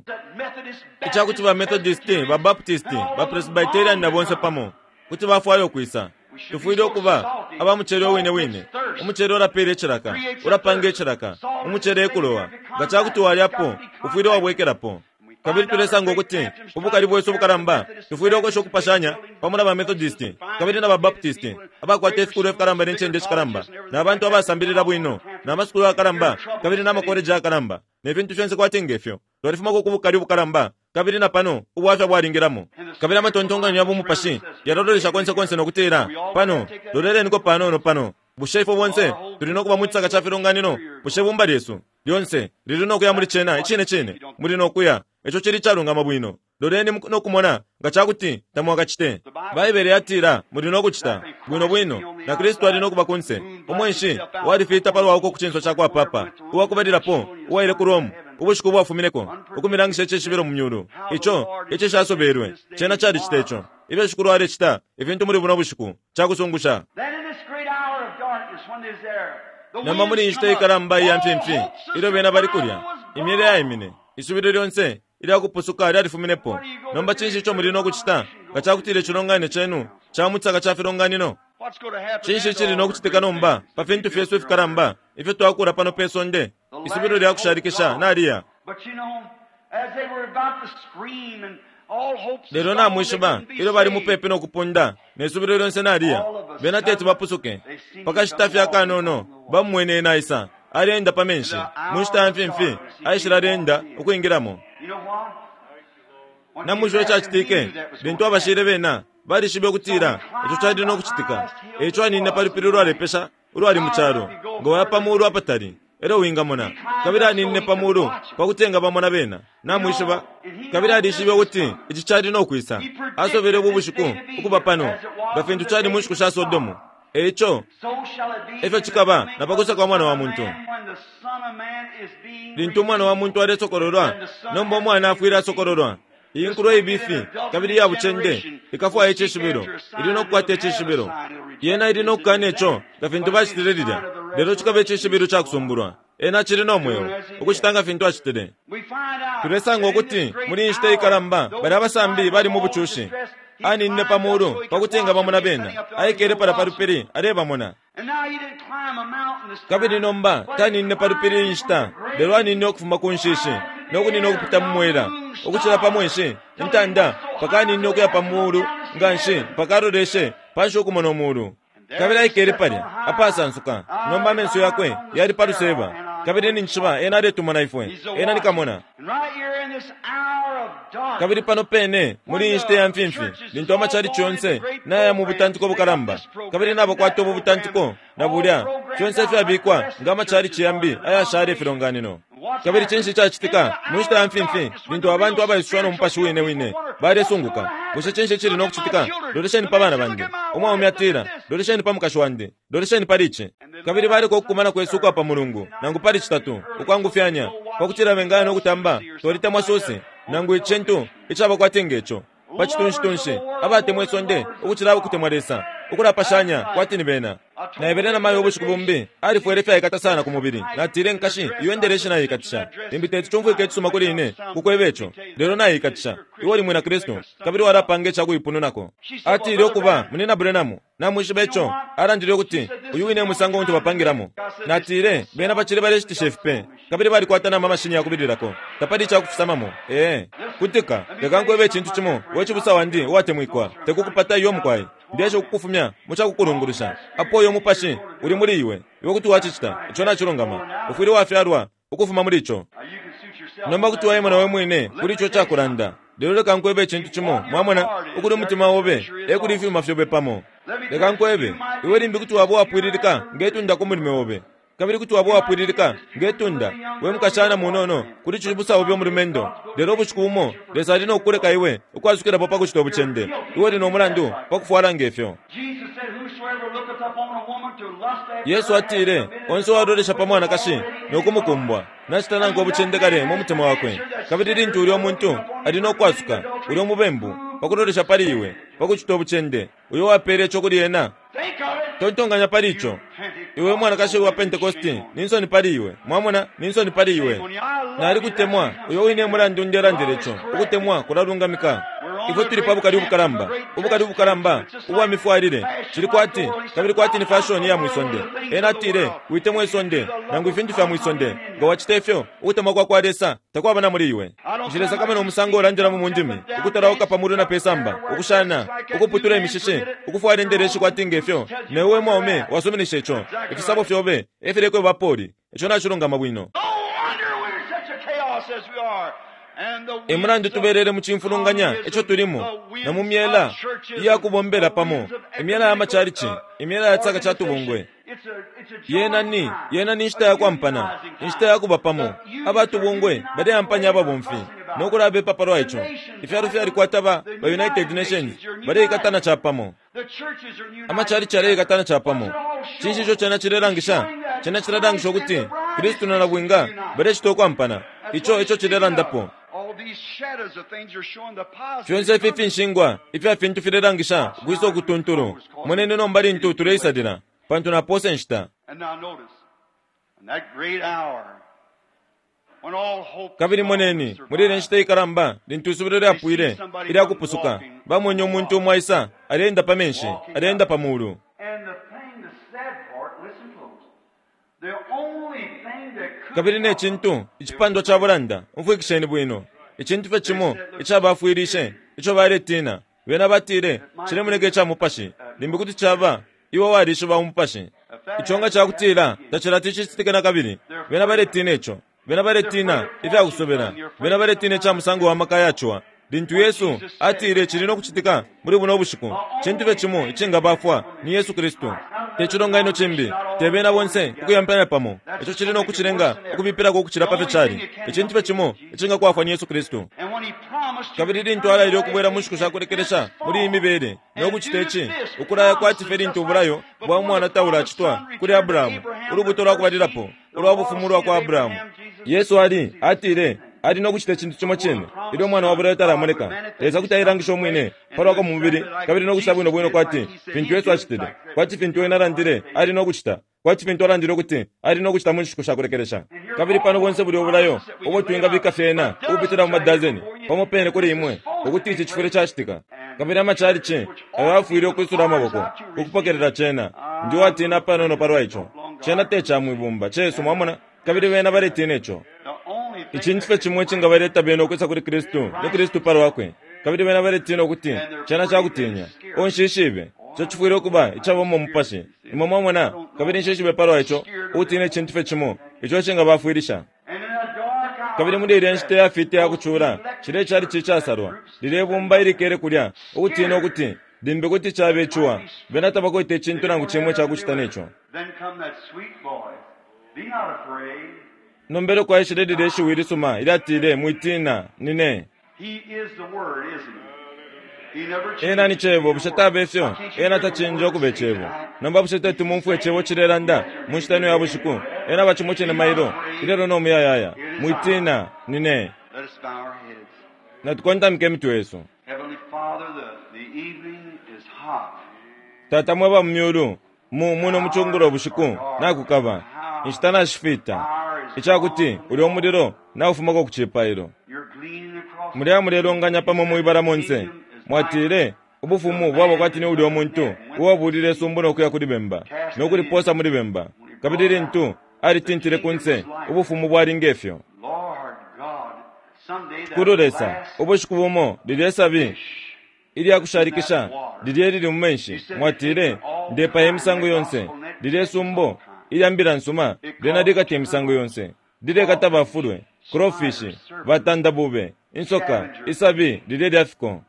ica kuti ba Methodist, ba Baptist, ba Presbyterian na bonse pamo kuti bafwaya ukwisa. Tufwile ukuba aba mucele uwine wine. Umucele ulapeela icilaka, ulapanga icilaka. Umucele e kulowa. Nga ca kuti walyapo, ufwile wabwekelapo. Kabili tulesanga ukuti ubukali bwesu ubukalamba, tufwile ukwesha ukupashanya pamo na ba Methodist kabili na ba Baptist abakwata ifikulwa ifikalamba ne ncende ishikalamba, na bantu abasambilila bwino, na masukulu ayakalamba kabili na makoleji ayakalamba, ne fintu fyonse kwati nge fyo. Twalifumako ku bukali ubukalamba, kabili na pano ubwafya bwalingilamo. Kabili amatontonkanyo ya bumupashi yalalolesha konse konse no kutila, Pano, loleleniko panono pano. Bushe ifwe bonse tuli no kuba mu cisaka ca filonganino? Bushe ibumba lyesu lyonse lili no kuya muli cena? Icine cine, muli no kuya. Ico cili icalungama bwino. Loleni no kumona nga ca kuti tamwakacite. Baibele yatila muli no kucita, bwino bwino, na Kristu ali no kuba kunse. Umwenshi walifiita palwa uko ku cinso ca kwa papa uwakubalilapo uwaile ku Rome ubushiku ubwafumineko, ukumilangisha icishibilo mu myulu ico icishasobelwe. Cena calicita ico. Ifyo Shikulu alecita ifintu muli buno bushiku cakusungusha. Nomba muli inshita ikalamba iya mfimfi ilyo bena bali kulya, imyele yaimine, isubilo lyonse ilya kupusuka lyalifuminepo. Nomba cinshi ico muli no kucita nga ca kutila icilonganino cenu ca mu cisaka ca filonganino? Cinshi icili no kucitika nomba pa fintu fyesu ifikalamba ifyo twakula pano pe sonde? Isubilo lya kushalikisha naliya. Lelo namwishiba, ilyo bali mupepi no kupunda, ne subilo lyonse naliya, bena teti bapusuke. Pa kashita fye akanono, bamumwene ena aisa, aleenda pa menshi, mu nshita ya mfimfi, aishile aleenda ukwingilamo. Namwishiba icacitike? Lintu abashile bena, balishibe ukutila ico cali no kucitika. E ico aninine pa lupili ulwalepesha ulwali mu calo, nga waya pa mulu apatali elyo wingamona. Kabili aninine pa mulu pa kuti engabamona bena, namwishiba. Kabili alishibe ukuti ici cali no kwisa. Asobele ubu bushiku ukuba pano, nga fintu cali mu nshiku sha Sodomu. E ico e fyo cikaba na pa kwisa kwa Mwana wa muntu. Lintu Umwana wa muntu alesokololwa, nomba Umwana afwile asokololwa. Iyi nkulo ibifi kabili iya bucende ikafwaya icishibilo, ili no kukwata icishibilo. Yena ili no kukana ico nga fintu bacitile lilya, lelo cikaba icishibilo ca kusumbulwa. Ena acili no mweo, ukucita nga fintu acitile. Tulesanga ukuti muli iyi nshita ikalamba balya abasambi bali mu bucushi. Aninine pa mulu pa kuti engabamona bena. Aikele palya pa lupili alebamona. Kabili nomba taninine pa lupili iyi nshita, lelo aninine ukufuma ku nshishi, no kunina ukupita mu mwela, ukucila pa mweshi, intanda, mpaka aninine ukuya pa muulu nga nshi, mpaka aloleshe panshi ukumona umuulu. Kabili aikele palya, apasansuka. Nomba amenso yakwe yali pa luseba. Kabili ninjishiba ena aletumona ifwe. Ena ni kamona. Kabili pano pene muli iyi nshita ya mfimfi, lintu amachalichi yonse naya mu butantiko bukalamba, kabili nabakwata ubu butantiko na bulya, fyonse ifyabikwa nga amachalichi yambi ayashala ifilonganino. Kabili cinshi icacitika mu nshita ya mfimfi lintu abantu abaisushiwa no Mupashi wine wine balesunguka, Bushe cinshi icili no kucitika? Lolesheni pa bana bandi. Umwaume atila, Lolesheni pa mukashi wandi. Lolesheni pali ici. Kabili baleka ukukumana kwesu ukwa pa Mulungu, nangu pali Citatu, ukwangufyanya, pa kutila bengaya no kutamba Twalitemwa Susie, nangu icintu icaba kwati nge co, pa citunshitunshi, abatemwa isonde ukucila ukutemwa Lesa, ukulapashanya kwati ni bena. Naebele na mayo ubushiku bumbi, alifwele ifyaikata sana ku mubili. Natile, Nkashi, iyo indeleshi naiikatisha. Limbi teti cumfwike icisuma kuli ine kukweba ico, lelo naiikatisha. Iwe uli Mwina Kristu, kabili walapanga ica kuipununako. Atile, Ukuba, Munyina Branham, Namwishiba ico? Alandile ukuti, Uyu wine e musango untu bapangilamo. Natile, Bena bacili baleshitisha ifipe, kabili balikwata na mamashini ya kubililako. Tapali ica kufisamamo. Ee. Kutika, leka nkwebe icintu cimo, we cibusa wandi uwatemwikwa. Te kukupata iyo, mukwai. Ndeesha ukukufumya mu ca kukulungulusha. Apo uyo mupashi uli muli iwe, iwe kuti wacicita. Ico nacilungama. Ufwile wafyalwa ukufuma muli ico. Nomba kuti waimona we mwine kuli ico cakulanda. Lelo leka nkwebe icintu cimo, mwamona, ukuli umutima obe, e kuli ifyuma fyobe pamo. Leka nkwebe, iwe limbi kuti waba uwapwililika nge tunda ku mulume obe. Kabili kuti waba uwapwililika nge tunda, we mukashana munono, kuli cibusa obe umulumendo. Lelo ubushiku bumo Lesa ali no kukuleka iwe ukwasukilapo pa kucita ubucende. Iwe uli no mulandu pa kufwala nge fyo. Yesu atile, Onse uwalolesha pa mwanakashi no kumukumbwa, nacita nankwe ubucende kale mu mutima wakwe. Kabili lintu ulyo muntu ali no kwasuka, ulyo mubembu, pa kulolesha pali iwe, pa kucita ubucende, uyo wapele ico kuli ena. Tontonkanya pali ico. Iwe mwanakashi wa Pentecosti, ni nsoni pali iwe. Mwamona, ni nsoni pali iwe. Nalikutemwa, uyo wine mulandu ndelandila ico. Ukutemwa kulalungamika. Ifwe tuli pa bukali ubukalamba, ubukali ubukalamba ubwa mifwalile. Cili kwati, kabili kwati ni fashoni ya mwisonde. Ena atile, Witemwa isonde, nangu ifintu fya mwisonde. Nga wacita ifyo, ukutemwa kwa kwa Lesa takwaba na muli iwe. Nshilesakamana umusango ulandilamo mu ndimi, ukutalauka pa mulu na pe samba, ukushana, ukuputula imishishi, ukufwala indeleshi kwati nge fyo, ne we mwaume wasuminisha ico. Ifisabo fyobe e filekweba poli. Ico nacilungama bwino. E mulandu tubelele mu cimfulunganya ico tulimo, na mu myela iya kubombela pamo, imyela ya macalici, imyela ya tsaka ca tubungwe. Yena ni, yena ni nshita ya kwampana, inshita ya kuba pamo. Aba tubungwe baleampanya ababomfi no kulabepa palwa ico. Ifyalo fyalikwata ba, ba United Nations, baleikatana capamo. Amacalici yaleikatana capamo. Cinshi ico cena cilelangisha? Cena cilelangisha ukuti Kristu na Nabwinga balecita ukwampana. Ico eco cilelandapo. Fyonse ifi finshingwa ifya fintu filelangisha ukwisa ukutuntulu. Moneni nomba lintu tuleisalila, pantu napoosa inshita. Kabili moneni, muli ilya nshita ikalamba lintu isubilo lyapwile ilya kupusuka, bamwene umuntu umo aisa aleenda pa menshi, aleenda pa mulu. Kabili ne cintu, icipandwa ca bulanda, umfwikisheni bwino, icintu fye cimo icabafwilishe ico baletiina, bena batile, Cilemoneka ica mupashi. Limbi kuti caba iwe walishiba umupashi. Ico nga ca kutila tacilati cicitike na kabili. Bena baletiina ico. Bena baletiina ifya kusobela. Bena baletiina ica musango wa maka ya ciwa. Lintu Yesu atile cili no kucitika muli buno bushiku, cintu fye cimo icingabafwa ni Yesu Kristu. Te cilonganino cimbi, te bena bonse ukuyampanya pamo, ico cili no kucilenga ukubipilako ukucila pa fyo cali. Icintu fye cimo icingakwafwa ni Yesu Kristu. Kabili lintu alaile ukubwela mu nshiku sha kulekelesha muli iyi mibele, no kucita ici, ukulaya kwati fye lintu ubulayo bwa mwana taulacitwa kuli Abrahamu, ulubuto lwa kubalilapo ulwa bufumu ulwa kwa Abrahamu. Yesu ali, atile, ali no kucita icintu cimo cine ilyo umwana wa bulayo talamoneka. Lesa kuti ailangisha umwine pa lwakwe mu mubili kabili no kucita bwino bwino kwati fintu Yesu acitile, kwati fintu ena alandile ali no kucita, kwati fintu alandile ukuti ali no kucita mu nshiku sha kulekelesha. Kabili pano bonse bulya ubulayo ubo twingabika fyena ukupitila mu madazeni pamo pene kuli imwe, ukuti ici cifwile cacitika. Kabili amachalichi ayo yafwile ukwisula amaboko ukupokelela cena. Ndi uwatina panono palwa ico. Cena te ca mwibumba, cesu, mwamona, kabili bena baletina ico. Icintu fye cimo icingabaleta bena ukwisa kuli Kristu ni Kristu pa lwakwe. Kabili bena baletina ukuti cena ca kutinya. Oh, nshishibe. Ico cifwile ukuba icabamo umupashi. Imwe mwamona? Kabili nshishibe palwa ico, ukutina icintu fye cimo ico icingabafwilisha. Kabili muli ilya nshita iyafita iya kucula, cilya icalici icasalwa, lilye bumba ilikele kulya, ukutina ukuti limbi kuti caba iciwa, bena tabakwete icintu nangu cimo icakucita ne co. Nomba elyo kwaishile lilye shiwi ilisuma ilyatile, Mwitina, Nine. Ena ni Cebo, bushe taba ifyo? Ena tacinja ukuba Icebo. Nomba bushe teti mumfwe Icebo cilelanda mu nshita ino ya bushiku? Ena aba cimo cine mailo, ilelo no muyayaya. Mwitina, Nine. Natukontamike imitwe yesu. Tata mwe ba mu Myulu, Mu, muno mucungulo bushiku nakukaba, inshita nashifita, icakuti ulyo mulilo naufumako ku cipailo. Mulya mulelonganya pamo mwibala monse. Mwatile, Ubufumu bwaba kwati ni ulyo muntu uwabulile isumbu no kuya kuli bemba, no kulipoosa muli bemba. Kabili lintu alitintile kunse, ubufumu bwali nge fyo. Shikulu Lesa, ubushiku bumo lilye sabi ilya kushalikisha lilya ilili mu menshi, mwatile, Ndepaya imisango yonse. Lilye sumbo ilya mbila nsuma lyena likata imisango yonse. Lilekata bafulwe, crawfish, batandabube, insoka, isabi lilya ilya fiko.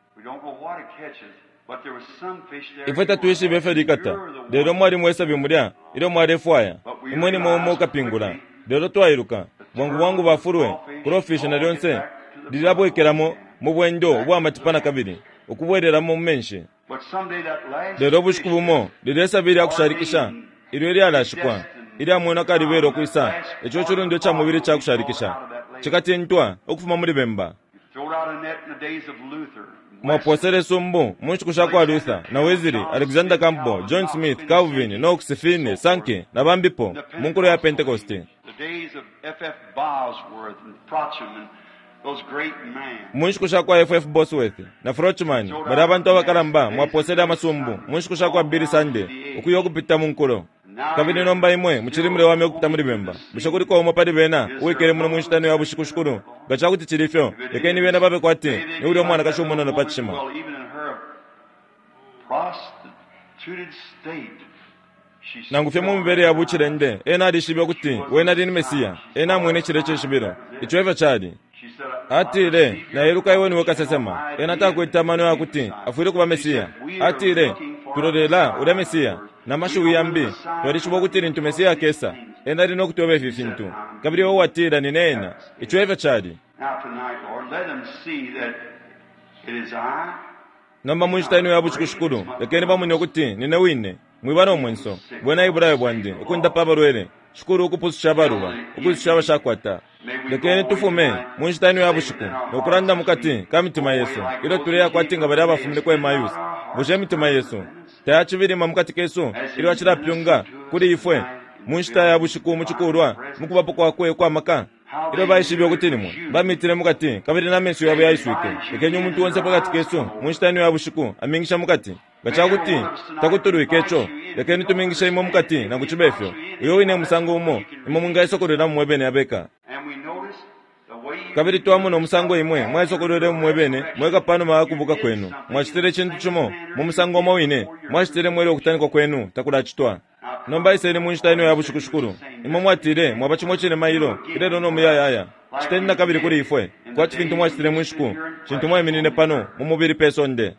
Ifwe tatwishibe ifyo likata, lelo mwalimo isabi mulya ilyo mwalefwaya. Imwe nimwe umo ukapingula. Lelo twailuka, bwangu bwangu bafulwe, crawfish na lyonse lilabwekelamo mu bwendo ubwa matipa na kabili, ukubwelelamo mu menshi. Lelo ubushiku bumo lilye sabi lya kushalikisha ilyo ilyalashikwa, ilyamwenwa kalibela ukwisa, ico cilundwa ica mubili ica kushalikisha cikatintwa ukufuma muli bemba. Mwaposele isumbu mu nshiku sha kwa Luther na Wesley, Alexander Campbell, John Smith, Calvin, Knox, Finney, Sankey, na bambipo mu nkulo ya Pentekoste. Mu nshiku sha kwa F.F. Bosworth na Frochman, balya abantu abakalamba, mwaposele amasumbu mu nshiku sha kwa Billy Sunday, ukuya ukupita mu nkulo. Kabili nomba imwe mucili mulewamya ukupita muli bemba. Bushe kuliko umo pali bena uwikele muno mu nshita ino ya bushiku, Shikulu? Nga ca kuti cili fyo, lekeni bena babe kwati ni ulya umwanakashi umunono pa cishima. Nangu fye mu mibele ya bucilende, ena alishibe ukuti wene ali ni Mesia. Ena amwene cilya cishibilo. Ico efyo cali. Atile, Nailuka iwe niwe kasesema. Ena takwete amano ya kuti afwile ukuba Mesia. Atile, Tulolela ulya Mesia. Na mashiwi yambi, twalishiba ukuti lintu Mesia akesa, ena ali no kutweba ifi fintu. Kabili iwe watila, Nine ena. Ico efyo cali. Nomba mu nshita ino ya bushiku, Shikulu, lekeni bamone ukuti nine wine. Mwiba no mwenso. Bwena ebulayo bwandi, ukundapa abalwele, Shikulu, ukupususha abaluba, ukwisusha abashakwata. Lekeni tufume mu nshita ino ya bushiku no kulanda mukati ka mitima yesu ilyo tuleya kwati nga balya abafumine ku Emmaus. Bushe imitima yesu tayacibilima mukati kesu ilyo acilapyunga kuli ifwe mu nshita ya bushiku mu cikulwa mu kubapo kwakwe ukwa maka? Ilyo baishibe ukuti nimwe bamitile mukati kabili na menso yabo yaiswike, lekeni umuntu onse pakati kesu mu nshita ino ya bushiku amingisha mukati. Nga ca kuti takutulwike ico, lekeni tumingishe imwe mukati nangu cibe fyo. Uyo wine musango umo imwe mwingaisokolwelamo mwe bene abeka. Kabili twamona umusango imwe mwaisokolwelemo mwe bene mweka pa numa ya kubuka kwenu. Mwacitile icintu cimo mu musango umo wine mwacitilemo ilyo ukutanikwa kwenu takulacitwa. Nomba iseni mu nshita ino ya bushiku, Shikulu. Imwe mwatile mwaba cimo cine mailo, ilelo no muyayaya. Citeni na kabili kuli ifwe kwati fintu mwacitile mu nshiku shintu mwaiminine pano mu mubili pe sonde.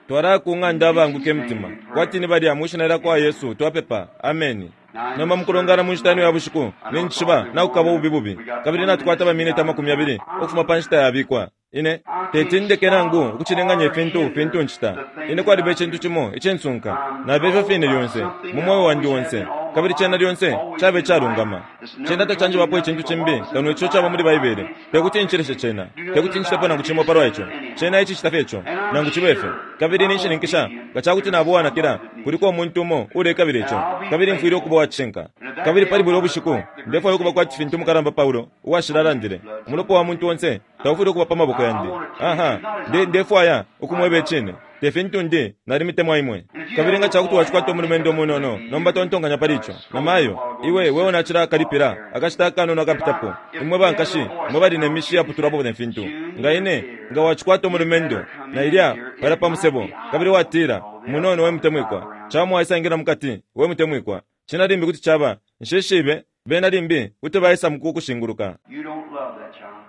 Twalaya ku ng'anda abaanguka imitima, kwati ni balya mwi Shina lyakwa Yesu twapepa. Ameni. Nomba mukulongana mu nshita ino ya bushiku, ninjishiba nakukaba ububi bubi, kabili natukwata ba miniti 20 ukufuma pa nshita yabikwa. Ine teti ndeke nangu ukucilinganya ifintu fintu ncita. Ine kwaliba icintu cimo icinsunka. Naba ifyo fine lyonse, mu mweo wandi onse, kabili cena lyonse caba icalungama. Cena tacanjibapo icintu cimbi kano ico caba muli Baibele. Tekuti ncileshe cena. Tekuti ncitepo nangu cimo palwa ico. Cena ecicita fye ico, nangu cibe fyo. Kabili ninshininkisha, nga ca kuti naba uwanakila, kuliko umuntu umo uulekabila ico, kabili mfwile ukuba uwa cishinka. Kabili pali bulya ubushiku, ndefwaya ukuba kwati fintu umukalamba Paulo uwashila alandile, Umulopa wa muntu onse taufwile ukuba pa maboko yandi. Aha, nde, ndefwaya ukumweba icine. Te fintu ndi, nalimitemwa imwe. Kabili nga ca kuti wacikwata umulumendo umunono, nomba tontonkanya pali ico, namayo, iwe, weo nacilakalipila akashita akanono akapitapo, imwe bankashi mwe bali ne mishi iyaputulwapo ne fintu. Nga ine, nga wacikwata umulumendo, na ilya palya pa musebo, kabili watila, Munono we mutemwikwa, camo waisangila mukati, we mutemwikwa. Cena limbi kuti caba, nshishibe, bena limbi kuti baisa mukukushinguluka.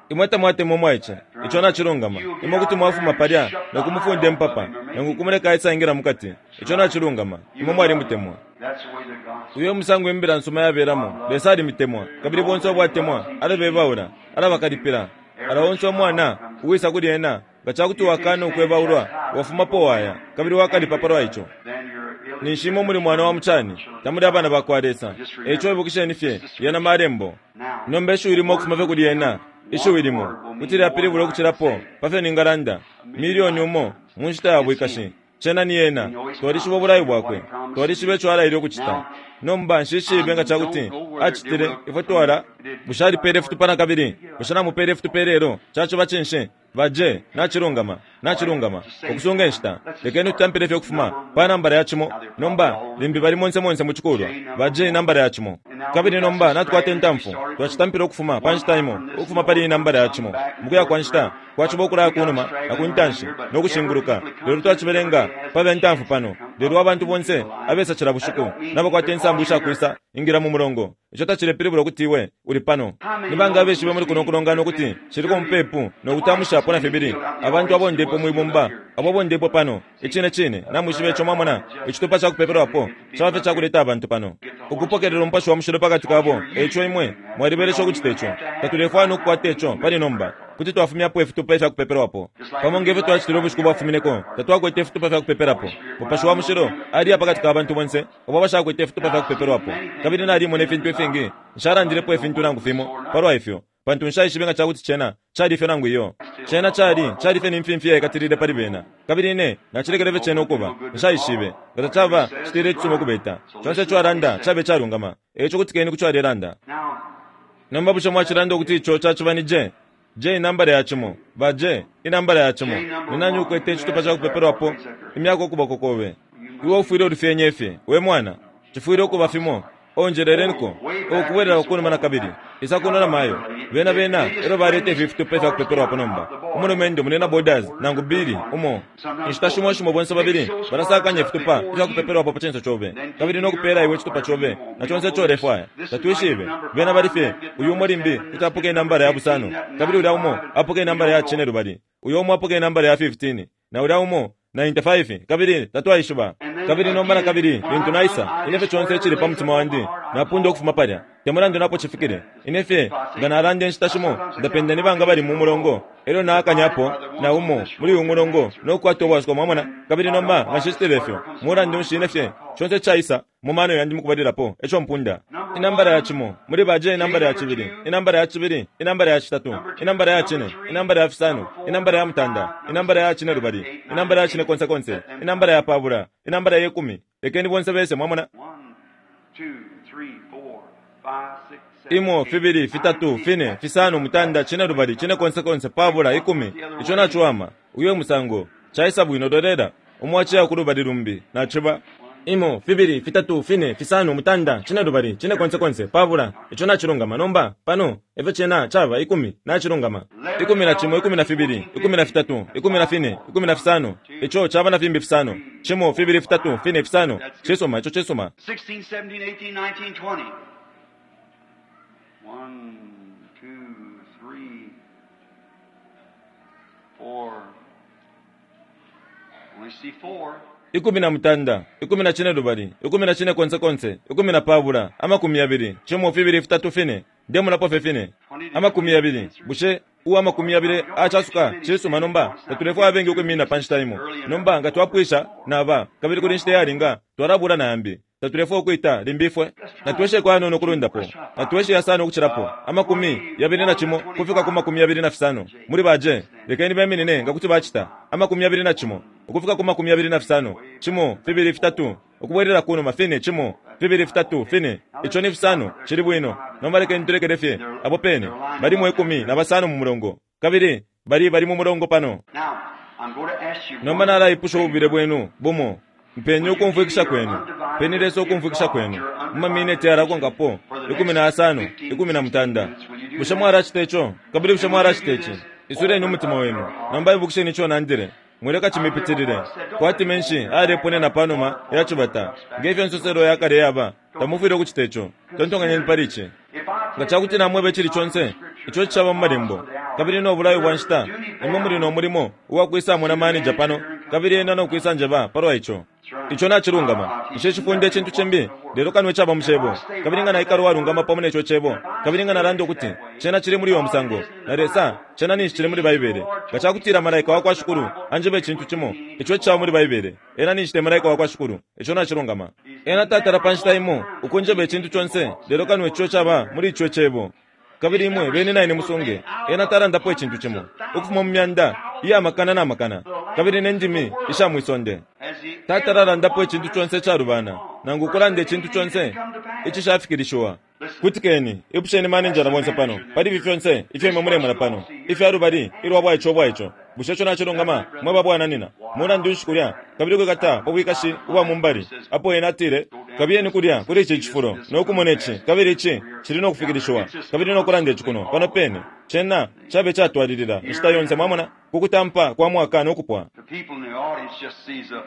Imwe tamwatemwa umwaice. Ico nacilungama. Imwe kuti mwafuma palya no kumufunda impapa, nangu ukumuleka aisaingila mukati. Ico nacilungama. Imwe mwalimutemwa. Uyo e musango Imbila nsuma yabelamo. Lesa alimitemwa. Kabili bonse abo atemwa, alabebaula, alabakalipila. Ala onse umwana uwisa kuli ena, nga ca kuti wakana ukwebaulwa, wafumapo waya, kabili wakalipa palwa ico. Ninshi imwe muli mwana wa mucani, tamuli abana ba kwa Lesa. E ico ibukisheni fye yena Malembo. Nomba ishiwi limo ukufuma fye kuli yena, ishiwi limo, kuti lyapilibula ukucilapo pa fyo ningalanda, milioni umo mu nshita ya bwikashi. Cena ni Ena. Twalishiba ubulayo Bwakwe. Twalishiba ico Alaile ukucita. Nomba, nshishibe nga cakuti Acitile, ifwe twala. Bushe Alipele ifitupa nakabili? Bushe Namupele ifitupa ilelo? Caciba cinshi? Ba J, Nacilungama. Nacilungama. Ukusunga inshita. Lekeni tutampile fye ukufuma pa nambala ya cimo. Nomba, limbi bali monse monse mu cikulwa. Ba J, nambala ya cimo. Kabili nomba natukwata intamfu. Twacitampila ukufuma pa nshita imo, ukufuma pali iyi nambala ya cimo. Mukuya kwa nshita, kwaciba ukulaya kunuma na ku ntanshi, no kushinguluka. Lelo twacibelenga pabe ntamfu pano. Lelo abantu bonse abesa cila bushiku nabakwata insambu ishakwisa ingila mu mulongo. Ico tacilepilibula ukuti iwe uli pano. Ni banga abeshibe muli kuno kulongana ukuti ciliko mupepu no kutamushapo na fibili abantu abondepo mwi bumba abo abondepwe pano? Icine cine, namwishiba ico. Mwamona, icitupa ca kupepelwapo caba fye ca kuleta abantu pano, ukupokelela Umupashi wa Mushilo pakati kabo. E ico imwe mwalibelesha ukucita ico. Tatulefwaya no kukwata ico pali nomba. Kuti twafumyapo ifitupa ifya kupepelwapo. Pamo nge fyo twacitile ubushiku bwafumineko, tatwakwete ifitupa fya kupepelapo. Mupashi wa Mushilo aliya pakati ka bantu bonse abo abashakwete ifitupa fya kupepelwapo. Kabili nalimona ifintu ifingi. Nshalandilepo ifintu nangu fimo palwa ifyo, pantu nshaishibe nga cakuti cena cali ifyo nangu iyo. Cena cali, cali fye ni mfimfi iyaikatilile pali bena. Kabili ine nacilekele fye cena ukuba. Nshaishibe. Nga tacaba, citile icisuma ukubeta. Conse ico alanda cabe icalungama. E ico kutikeni ku co alelanda. Nomba bushe mwacilanda ukuti ico caciba ni J? J inambala ya cimo. Ba J, inambala ya cimo. Ni nani ukwete icitupa ca kupepelwapo? Imyako ukuboko kobe. Iwe ufwile ulufyenye fye, we mwana. Cifwile ukuba fimo. Oh, njeleleniko. Oh, kubwelelako kunuma nakabili. Isa kuno na mayo. Bena, bena elyo baleta ifi fitupa ifya kupepelwapo nomba. Umulumendo muli na Borders nangu Billy, umo. Inshita shimo shimo bonse babili balasakanya ifitupa ifya kupepelwapo pa cinso cobe, kabili no kupela iwe icitupa cobe na conse ico ulefwaya. Tatwishibe. Bena bali fye, uyu umo limbi kuti apoka inambala ya busano, kabili ulya umo apoka inambala ya cinelubali, uyo umo apoka inambala ya 15, na ulya umo 95, kabili tatwaishiba. Kabili nomba nakabili, lintu naisa, ine fye conse icili pa mutima wandi, napunda ukufuma palya, te mulandu napo cifikile. Ine fye, nga nalanda inshita shimo, ndapenda ni banga bali mu mulongo, elyo naakanyapo na umo muli uyu mulongo no kukwata ubwasuko, mwamona. Kabili nomba nga nshicitile ifyo, mulandu nshi ine fye, conse icaisa mu mano yandi mukubalilapo, eco mpunda. Inambala ya cimo, muli ba J, inambala ya cibili, inambala ya cibili, inambala ya citatu, inambala ya cine, inambala ya fisano, inambala ya mutanda, inambala ya cinelubali, inambala ya cinekonsekonse, inambala ya pabula, inambala ye kumi. Lekeni bonse bese, mwamona. Imo, fibili, fitatu, fine, fisano, mutanda, cinelubali, cinekonsekonse, pabula, ikumi. Ico naciwama. Uyo e musango. Caisa bwino, lolela. Umo aciya kulubali lumbi, naciba. Imo, fibili, fitatu, fine, fisano, mutanda, cinelubali, cinekonsekonse, pabula. Ico nacilungama. Nomba, pano, efyo cena caba, ikumi. Nacilungama. 11, 12, 13, 14, 15. Ico caba na fimbi fisano. Cimo, fibili, fitatu, fine, fisano. Cisuma, ico cisuma. 16, 17, 18, 19, 20. 1, 2, 3, 4. Only see 4. 18, 12, 14, 20, 20, cimo, fibili, fitatu, fine. Ndemonapo fye fine. 20. Bushe uwa 20 acasuka? Cisuma, nomba tatulefwaya abengi ukwiminina pa nshita imo. Nomba nga twapwisha naba, kabili kuli inshita iyalinga, twalabula na yambi. Tatulefwaya ukwita limbi ifwe. Natwesheko ayanono ukulundapo. Natweshe yasano ukucilapo. 21 kufika ku 25. Muli ba J, lekeni beminine nga kuti bacita. 21 ukufika ku 25. Cimo, fibili, fitatu, ukubwelela kunuma, fine, cimo, fibili, fitatu, fine. Ico ni fisano. Cili bwino. Nomba lekeni tulekele fye apo pene. Balimo 15 mu mulongo. Kabili bali bali mu mulongo pano. Now, I'm going to ask you Nomba nalaipusha ububile bwenu bumo. Mpeni ukumfwikisha kwenu. Peni Lesa ukumfwikisha kwenu. Mu mamineti yalakonkapo, 15, 18. Bushe mwalacita ico? Kabili bushe mwalacita ici? Isuleni umutima wenu. Nomba ibukisheni ico nandile. Mwileka cimipitilile. Kwati menshi ayaleponena pa numa ya cibata, nge fyo insoselo ya kale yaba, tamufwile ukucita ico. Tontonkanyeni pali ici. Nga ca kuti namweba icili conse ico icishaba mu Malembo, kabili no bulayo bwa nshita, imwe muli no mulimo uwa kwisamona maneja pano, kabili ena no kwisanjeba palwa ico. Ico nacilungama. Nshicifunde icintu cimbi, lelo kano icaba mu Cebo. Kabili nga naikala uwalungama pamo ne co Cebo, kabili nga nalanda ukuti cena cili muli uyo musango, na Lesa, cena ninshi cili muli Baibele. Nga cakutila malaika wakwa Shikulu anjeba icintu cimo ico icishaba muli Baibele, ena ninshi te malaika wakwa Shikulu. Ico nacilungama. Ena tatala pa nshita imo ukunjeba icintu conse, lelo kano ico caba muli ico Cebo. Kabili imwe beni na ine musunge, ena talandapo icintu cimo, ukufuma mu myanda iya makana na makana, kabili ne ndimi isha mwi sonde. Tatalalandapo icintu conse icalubana, nangu ukulanda icintu conse icishafikilishiwa. Kutikeni, ipusheni maninjala bonse pano, pali ifi fyonse ifyo imwe mulemona pano, ifya lubali ilwa bwaice ubwaico. Bushe ico nacilungama, mwe babwananina? Mulandu nshi kulya, kabili ukwikata pa bwikashi ubwa mu mbali, apo ena atile, Kabiyeni kulya kuli ici cifulo, no kumona ici, kabili ici cili no kufikilishiwa, kabili no kulanda ici kuno, pano pene. Cena cabe icatwalilila inshita yonse, mwamona, ku kutampa kwa mwaka no kupwa. The people in the audience just sees a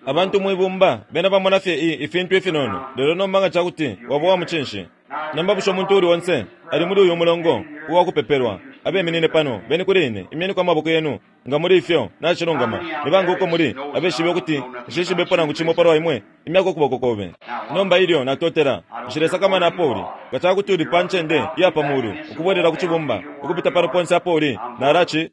Abantu mwibumba bena bamona fye i, ifintu ifinono, lelo nomba nga ca kuti waba uwa mucinshi. Nomba bushe umuntu uuli onse ali muli uyu mulongo uwa kupepelwa, abeminine pano, beni kuli ine, imyeniko amaboko yenu, nga muli ifyo nacilungama. Ni banga uko muli abeshibe ukuti nshishibepo nangu cimo palwa imwe? Imyako ukuboko kobe. Nomba ilyo natotela, nshilesakamana apo uli. Nga ca kuti uli pa ncende iya pa mulu, ukubwelela ku cibumba, ukupita pano ponse apo uli, nalaci.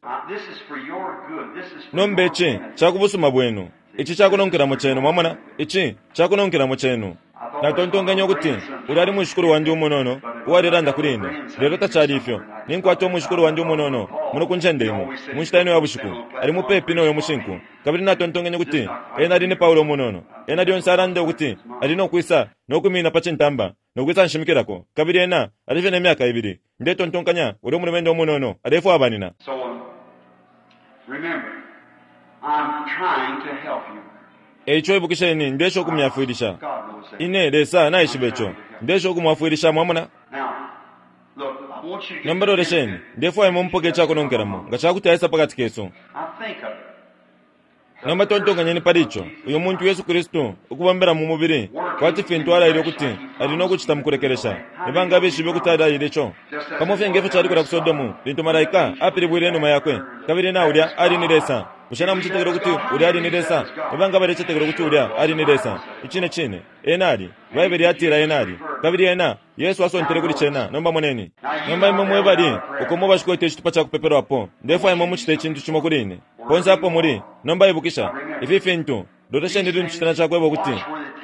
Nomba ici ca ku busuma bwenu. Ici ca kunonkelamo cenu, mwamona. Ici ca kunonkelamo cenu. Natontonkenye ukuti ulya ali mwishikulu wandi umunono uwalelanda kuli ine, lelo tacali ifyo. Ninkwata umwishikulu wandi umunono muno ku ncende imo, mu nshita ino ya bushiku, ali mupepi no yo mushinku. Kabili natontonkenye ukuti ena ali ni Paulo umunono. Ena lyonse alanda ukuti ali no kwisa no kwiminina pa cintamba no kwisa nshimikilako, kabili ena ali fye ne myaka ibili. Ndetontonkanya ulya umulumendo umunono alefwaya banina. E ico ibukisheni, ndesha ukumyafwilisha. Ine, Lesa naishiba ico. Ndesha ukumwafwilisha, mwamona. Nomba lolesheni, ndefwaya imwe mupoke icakunonkelamo nga ca kuti aisa pa kati kesu. Nomba tontonkanyeni pali ico, uyu muntu Yesu Kristu ukubombela mu mubili kwati fintu alaile ukuti ali no kucita mu kulekelesha. Ni banga abeshibe ukuti alaile ico? Pamo fye nge fyo cali kulya ku Sodomu lintu malaika apilibwile inuma yakwe, kabili na ulya ali ni Lesa. Bushe namucetekela ukuti ulya ali ni Lesa? Ni banga abalecetekela ukuti ulya ali ni Lesa? Icine cine, Ena ali. Baibele yatila Ena ali. Kabili Ena, Yesu asontele kuli cena. Nomba moneni. Nomba imwe mwe bali uko mwe bashikwete icitupa ca kupepelwapo, ndefwaya imwe mucite icintu cimo kuli ine. Ponse apo muli, nomba ibukisha, ifi fintu, lolesheni lintu citana cakweba ukuti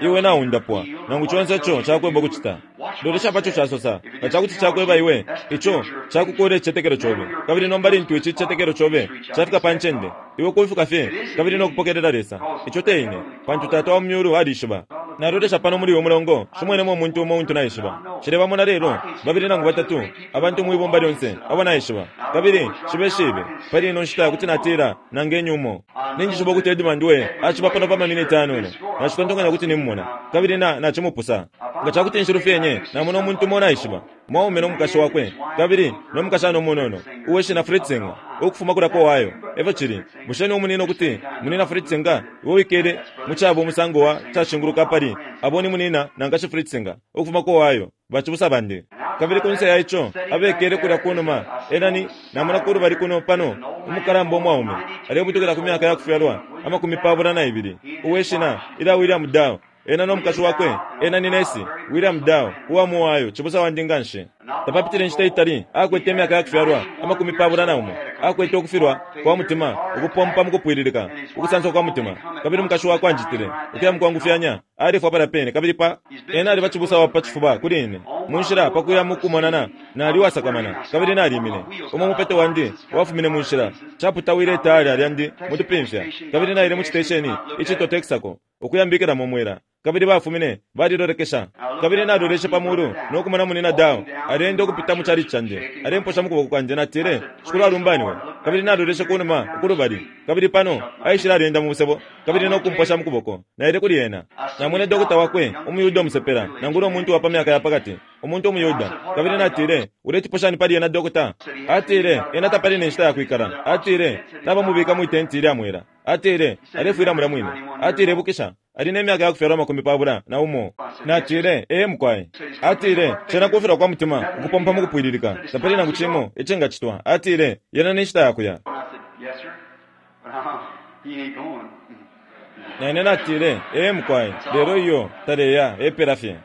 iwe naundapwa, nangu conse ico cakweba ukucita. Lolesha paco casosa, nga cakuti cakweba iwe, ico cakukuula icicetekelo cobe. Kabili nomba lintu ici cicetekelo cobe cafika pa ncende, iwe kufika fye kabili no kupokelela Lesa. Ico te ine, pantu Tata wa mu Myulu alishiba. Nalolesha pano muli uyu mulongo, nshimwenemo umuntu umo untu naishiba. Nshilebamona lelo babili nangu batatu abantu mwi bumba lyonse abo naishiba. Kabili nshibeshibe pali ino nshita kuti natila nangenye umo. Ninjishiba ukuti Edmund we aciba pano pa maminiti ayanono. Nacitontonkanya ukuti nimumona, kabili na, nacimupusa. Nga ca kuti nshilufyenye, namona umuntu umo naishiba, umwaume no mukashi wakwe, kabili no mukashana umunono uwe shina Fritzinger, ukufuma kulya ku Ohio. Efyo cili. Bushe ni umunina ukuti Munina Fritzinger, iwe wikele mu caba umusango wa cashinguluka apali abo ni Munina na Nkashi Fritzinger, ukufuma ku Ohio, bacibusa bandi. Kabili kunse ya ico, abekele kulya kunuma, ena ni, namona kulubali kuno pano, umukalamba umwaume, alebutukila ku myaka ya kufyalwa 22, uwe shina ilya William Dow. Ena no mukashi wakwe, ena ni nesi, William Dow, uwa mu Ohio, cibusa wandi nganshi. Tapapitile inshita itali, akwete imyaka ya kufyalwa 21, akwete ukufilwa kwa mutima ukupompa mukupwililika, ukusanswa kwa mutima. Kabili umukashi wakwe anjitile, ukuya mukwangufyanya, alefwa palya pene. Kabili pa. Ena aliba cibusa wa pa cifuba kuli ine. Mu nshila pa kuya mukumonana, nali uwasakamana, kabili nalimine. Umo umupeto wandi wafumine mu nshila, caputawile itaala lyandi mutupimfya, kabili naile mu citesheni icitwa Texaco. Ukuyambikilamo umwela. Kabili bafumine, balilolekesha. Kabili naloleshe pa mulu no kumona Munina Dow aleenda ukupita mu chalichi candi, alemposha mu kuboko kwandi. Natile, Shikulu alumbaniwe. Kabili naloleshe kunuma uku lubali, kabili pano aishile aleenda mu musebo, kabili no kumposha mu kuboko. Naile kuli ena. Namwene dokota wakwe, umuYuda umusepela, nangula umuntu wa pa myaka ya pakati, umuntu umuYuda. Kabili natile, Uletipo shani pali ena, dokota? Atile, Ena tapali ne nshita ya kwikala. Atile, Nabamubika mwi tenti ilya mwela. Atile, Alefwila mulya mwine. Atile, Ibukisha, ali ne myaka ya kufyalwa 21. Natile, Ee, mukwai. Atile, Cena kufilwa kwa mutima, ukupompa mukupwililika. Tapali nangu cimo icingacitwa. Atile, Yena ni nshita ya kuya. Na ine natile, Ee, mukwai, lelo iyo taleya, epela fye.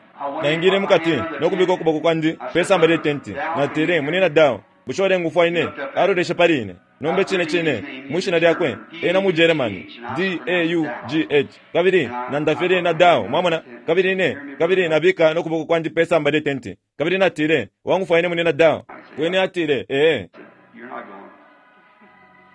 Naingile mukati no kubika ukuboko kwandi pe samba lye tenti. Natile, Munina Dow, Bushe ulengufwa ine? Aloleshe pali ine. Nomba icine cine, mwi shina lyakwe, ena mu Germany, D-a-u-g-h, kabili nanda fye lyena Dau, mwamona. Kabili ine, kabili nabika no kuboko kwandi pe samba lye tenti, kabili natile, Wangufwa ine, Munyina Dau? Wene atile, Ee.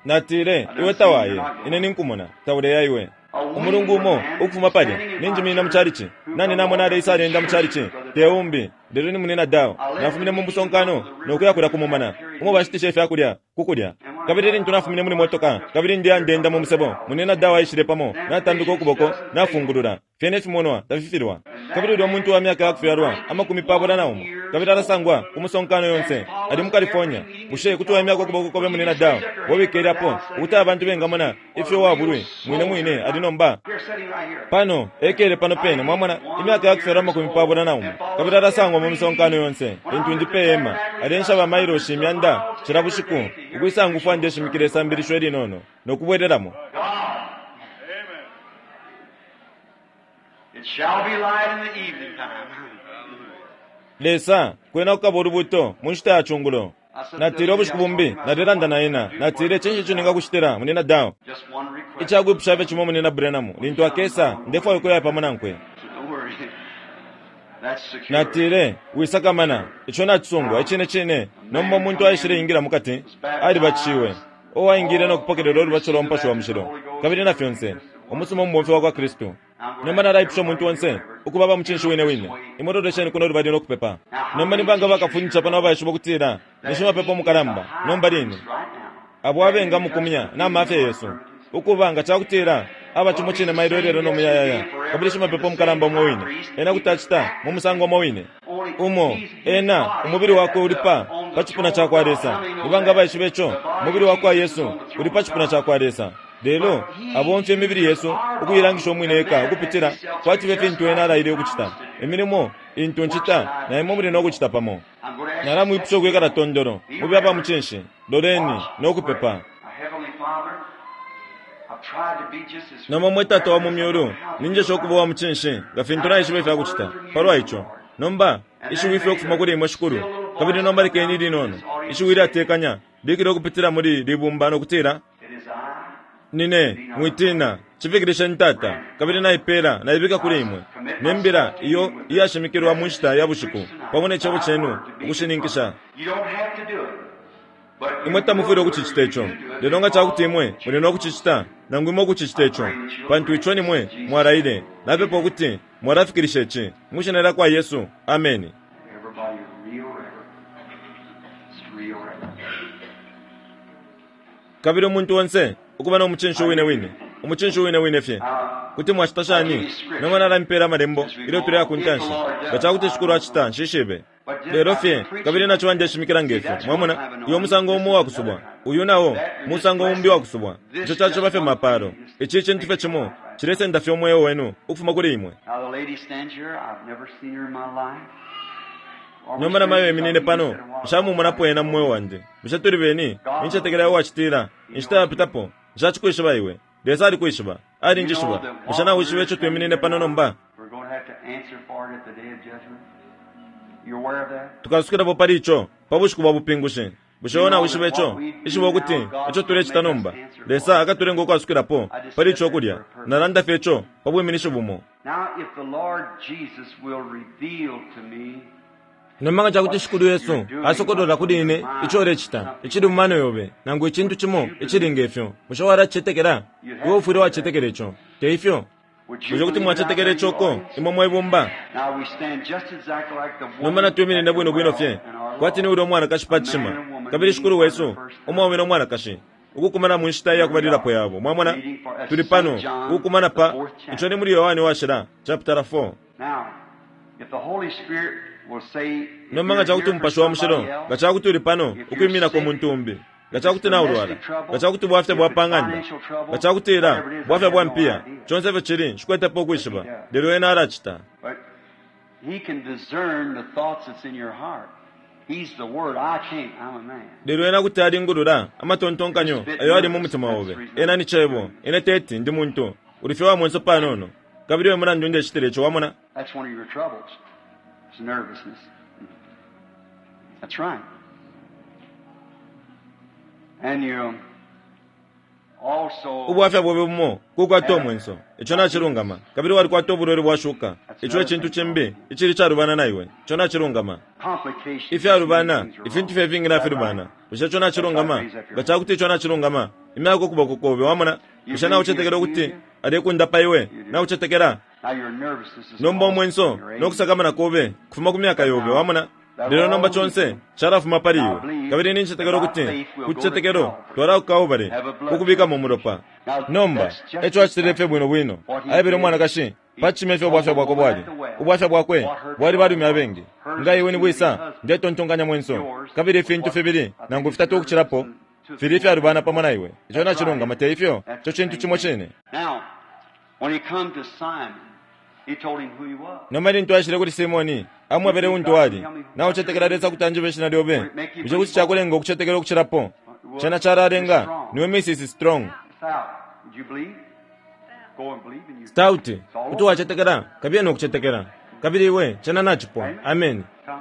Natile, Iwe tawaye. Ine ninkumona. Tauleya iwe. Umulungu umo, ukufuma palya, ninjiminina mu chalichi. Nani namona aleisa aleenda mu chalichi? Te umbi, lelo ni Munyina Dow. Nafumine mu musonkano no kuya kulya ku mumana, umo bashitisha ifya kulya, ku kulya. Kabili lintu nafumine muli motoka, kabili ndeya ndeenda mu musebo, Munyina Dow aishile pamo, natambika ukuboko, nafungulula. Fyene ifimonwa tafifilwa. Kabili ulya muntu wa myaka ya kufyalwa 21, Kabili alasangwa ku musonkano yonse. Ali mu California. Bushe kuti waimyako ukuboko kobe, Munina Dow, wabikele apo, ukuti abantu bengamona ifyo wabulwi mwine mwine ali nomba? Here, sitting right here. Pano ekele pano pene, mwamona, imyaka yakufyalwa 31, kabili alasangwa mu misonkano yonse. Lintu ndi pe hema, alensha ba mailoshi imyanda cila bushiku ukwisangufwa ndeshimikila isambilisho ilinono no kubwelelamo. God. It shall be light in the evening time. Lesa, kwena kukaba ulubuto mu nshita ya chungulo. Natile ubushiku bumbi nalelanda na ena, natile, "Cinshi ico ningakushitila, Munina Dow?" Just one request. Icakwipusha fye cimo, Munina Branham, lintu akesa, ndefwaya ukuya pamo nankwe. Don't worry. That's secure. Natile, "Wisakamana, ico nacisungwa icine cine." Nomba umuntu aishile ingila mukati, alibatishiwe, uwaingile no kupokelela ulubatisho lwa Mupashi wa Mushilo kabili na fyonse, umusuma umubomfi wa kwa Kristu. Nomba nalaipusha umuntu onse ukuba ba mucinshi wine wine. Imwe lolesheni kuno lubali no kupepa. Nomba ni banga bakafundisha pano abaishiba ukutila ni shimapepo mukalamba nomba line, Right now. abo abengamukumya na mafya yesu, ukuba nga cakutila aba cimo cine mailo, ilelo, no muyayaya, kabili shimapepo mukalamba umo wine, ena kuti acita mu musango umo wine umo ena umubili wakwe uli pa cipuna ca kwa Lesa. Nibanga abaishiba ico? Umubili wa kwa Yesu uli pa cipuna ca kwa Lesa, lelo abomfya imibili yesu ukuilangisha umwine eka ukupitila kwati fye fintu ena alaile ukucita. "Imilimo intu ncita na imwe muli no kucita pamo." I'm going to ask Nalamwipusha ukwikala tondolo, mube aba mucinshi, loleni no kupepa. Our Heavenly Father, I've tried to be just as Nomba mwe Tata wa mu myulu, ninjesha ukuba wa mucinshi nga fintu naishiba ifya kucita palwa ico. Nomba ishiwi fye ukufuma kuli imwe, Shikulu, kabili nomba lekeni linono ishiwi ilyatekanya likile ukupitila muli libumba no kutila, It is I. "Nine, mwitina, cifikilisheni, Tata, kabili naipela naibika kuli imwe ne mbila iyo iyashimikilwa mu nshita ya bushiku pamo ne cebo cenu ukushininkisha." You don't have to do it. But you Imwe tamufwile will ukucicita if ico, you do it lelo nga cakuti imwe because muli no kucicita, nangu imwe ukucicita ico, pantu ico nimwe mwalaile. Napepa ukuti mwalafikilisha ici mwishina lya kwa Yesu. Ameni. Everybody real reverent. It's real reverent. Kabili umuntu onse ukuba no mucinshi wine wine, umucinshi wine wine fye. Kuti mwacita shani? Nomba nalampela amalembo ilyo tuleya ku ntanshi, nga cakuti Shikulu acita, nshishibe. Lelo fye kabili naciba ndeshimikila ngefyo, mwamona, uyo musango umo wakusubwa, uyu nao musango umbi wakusubwa. Ico caciba fye mapalo. Ici cintu fye cimo cilesenda fye umweo wenu ukufuma kuli imwe. Now the lady stands here. I've never seen her in my life. Are we Nomba namayo strangers? eminine pano, nshamumonapo ena mu mweo wandi. Bushe tuli beni? Nincetekela wacitila inshita yapitapo, nshacikwishiba iwe. Lesa alikwishiba, alinjishiba. Bushe nawishiba ico twiminine pano nomba? We're going to have to answer for it at the day of judgment. You aware of that? Tukasukilapo pali ico pa bushiku bwa bupingushi. Bushe iwe nawishiba ico? Ishiba ukuti ico tulecita nomba, Lesa akatulenga ukwasukilapo pali ico kulya. Nalanda fye ico pa bwiminishi bumo. Now, if the Lord Jesus will reveal to me Nomba nga cakuti Shikulu Yesu asokolola kuli ine ico ulecita, icili mu mano yobe, nangu icintu cimo icili ngefyo, bushe walacicetekela? Iwe ufwile wacetekela ico, te ifyo? Would you Bushe kuti believe it out mwacetekela there in the ico ko, audience? imwe mwebumba? Now we stand just exactly like the Nomba woman natwiminine at the bwino bwino well fye in our kwati ni Lord. ulya umwanakashi pa A man cishima and woman kabili meeting Shikulu for the wesu, first time. umwaume no mwanakashi ukukumana mu nshita iya kubalilapo yabo. Mwamona, Meeting for tuli St. pano John, ukukumana the pa fourth ico chapter. ni muli Yohane washila chapter 4. Now, if the Holy Spirit will say, if Nomba nga you're cakuti here for Umupashi wa Mushilo somebody nga else, cakuti uli pano if you're ukwiminako sick, muntu umbi, nga if it's cakuti naulwala, domestic trouble, nga cakuti bwafya if bwa it's pa ng'anda, financial trouble, nga cakutila whatever it is, I bwafya have bwa no mpiya, idea. conse ifyo cili, nshikwetepo But he ukwishiba, does. lelo ena alacita. But he can discern the thoughts that's in your heart. He's the Word. I can't. I'm a man. Lelo ena kuti alingulula amatontonkanyo Just a bit ayo ali mu nervous. mutima That's obe. the reason Ena I'm ni Cebo, ine teti ndi muntu. Uli fye wa mwenso panono, kabili we mulandu ndecitile ico, wamona. That's one of your troubles. It's nervousness. That's right. And you also Ubwafya bwobe bumo kukwata have omwenso. Ico nacilungama. Kabili walikwata ubulwele bwashuka. that's Ico another ecintu thing cimbi called icili calubana na iwe. Ico nacilungama. complications. Many Ifyalubana, things are ifintu wrong. fye ifingi Is that right? nafilubana. Bushe ico That's right. nacilungama? Raise up your Nga hand. cakuti ico nacilungama, imyako ukuboko kobe, wamona. You Bushe believe he'll naucetekela heal ukuti you? alekundapa iwe? You do. Naucetekela? Now your nervousness is Nomba caused from omwenso your age. nokusakamana kobe kufuma ku myaka But yobe, now wamona. that'll Lelo nomba all leave conse you. calafuma pali Now iwe, believe kabili that nincetekela by ukuti faith we'll ku go to cicetekelo Calvary, twala ku Kalvari have a blood kukubikamo umulopa. Now Nomba that's just eco acitile fye exactly bwino bwino. what he Aebele did. umwanakashi He pa cishima ifyo told ubwafya the bwakwe woman bwali. at the well. Ubwafya bwakwe bwali balume abengi. Nga iwe ni bwisa, ndetontonkanya mwenso. Kabili ifintu fibili nangu fitatu ukucilapo fili ifyalubana pamo na iwe. Ico nacilungama, te ifyo? Ico cintu cimo cine. Now, when he come to Simon, he told him who he was. Nomba lintu aishile kuli Simoni, amwebele untu ali. Naucetekela Lesa kuti anjebe ishina lyobe. Bushe kuti cakulenga ukucetekela ukucilapo? Cena calalenga niwe Mrs. Strong. Stout, would you believe? Go and believe and you Stout, kuti wacetekela, kabiye no kucetekela. Kabili iwe, cena nacipwa. Amen. come.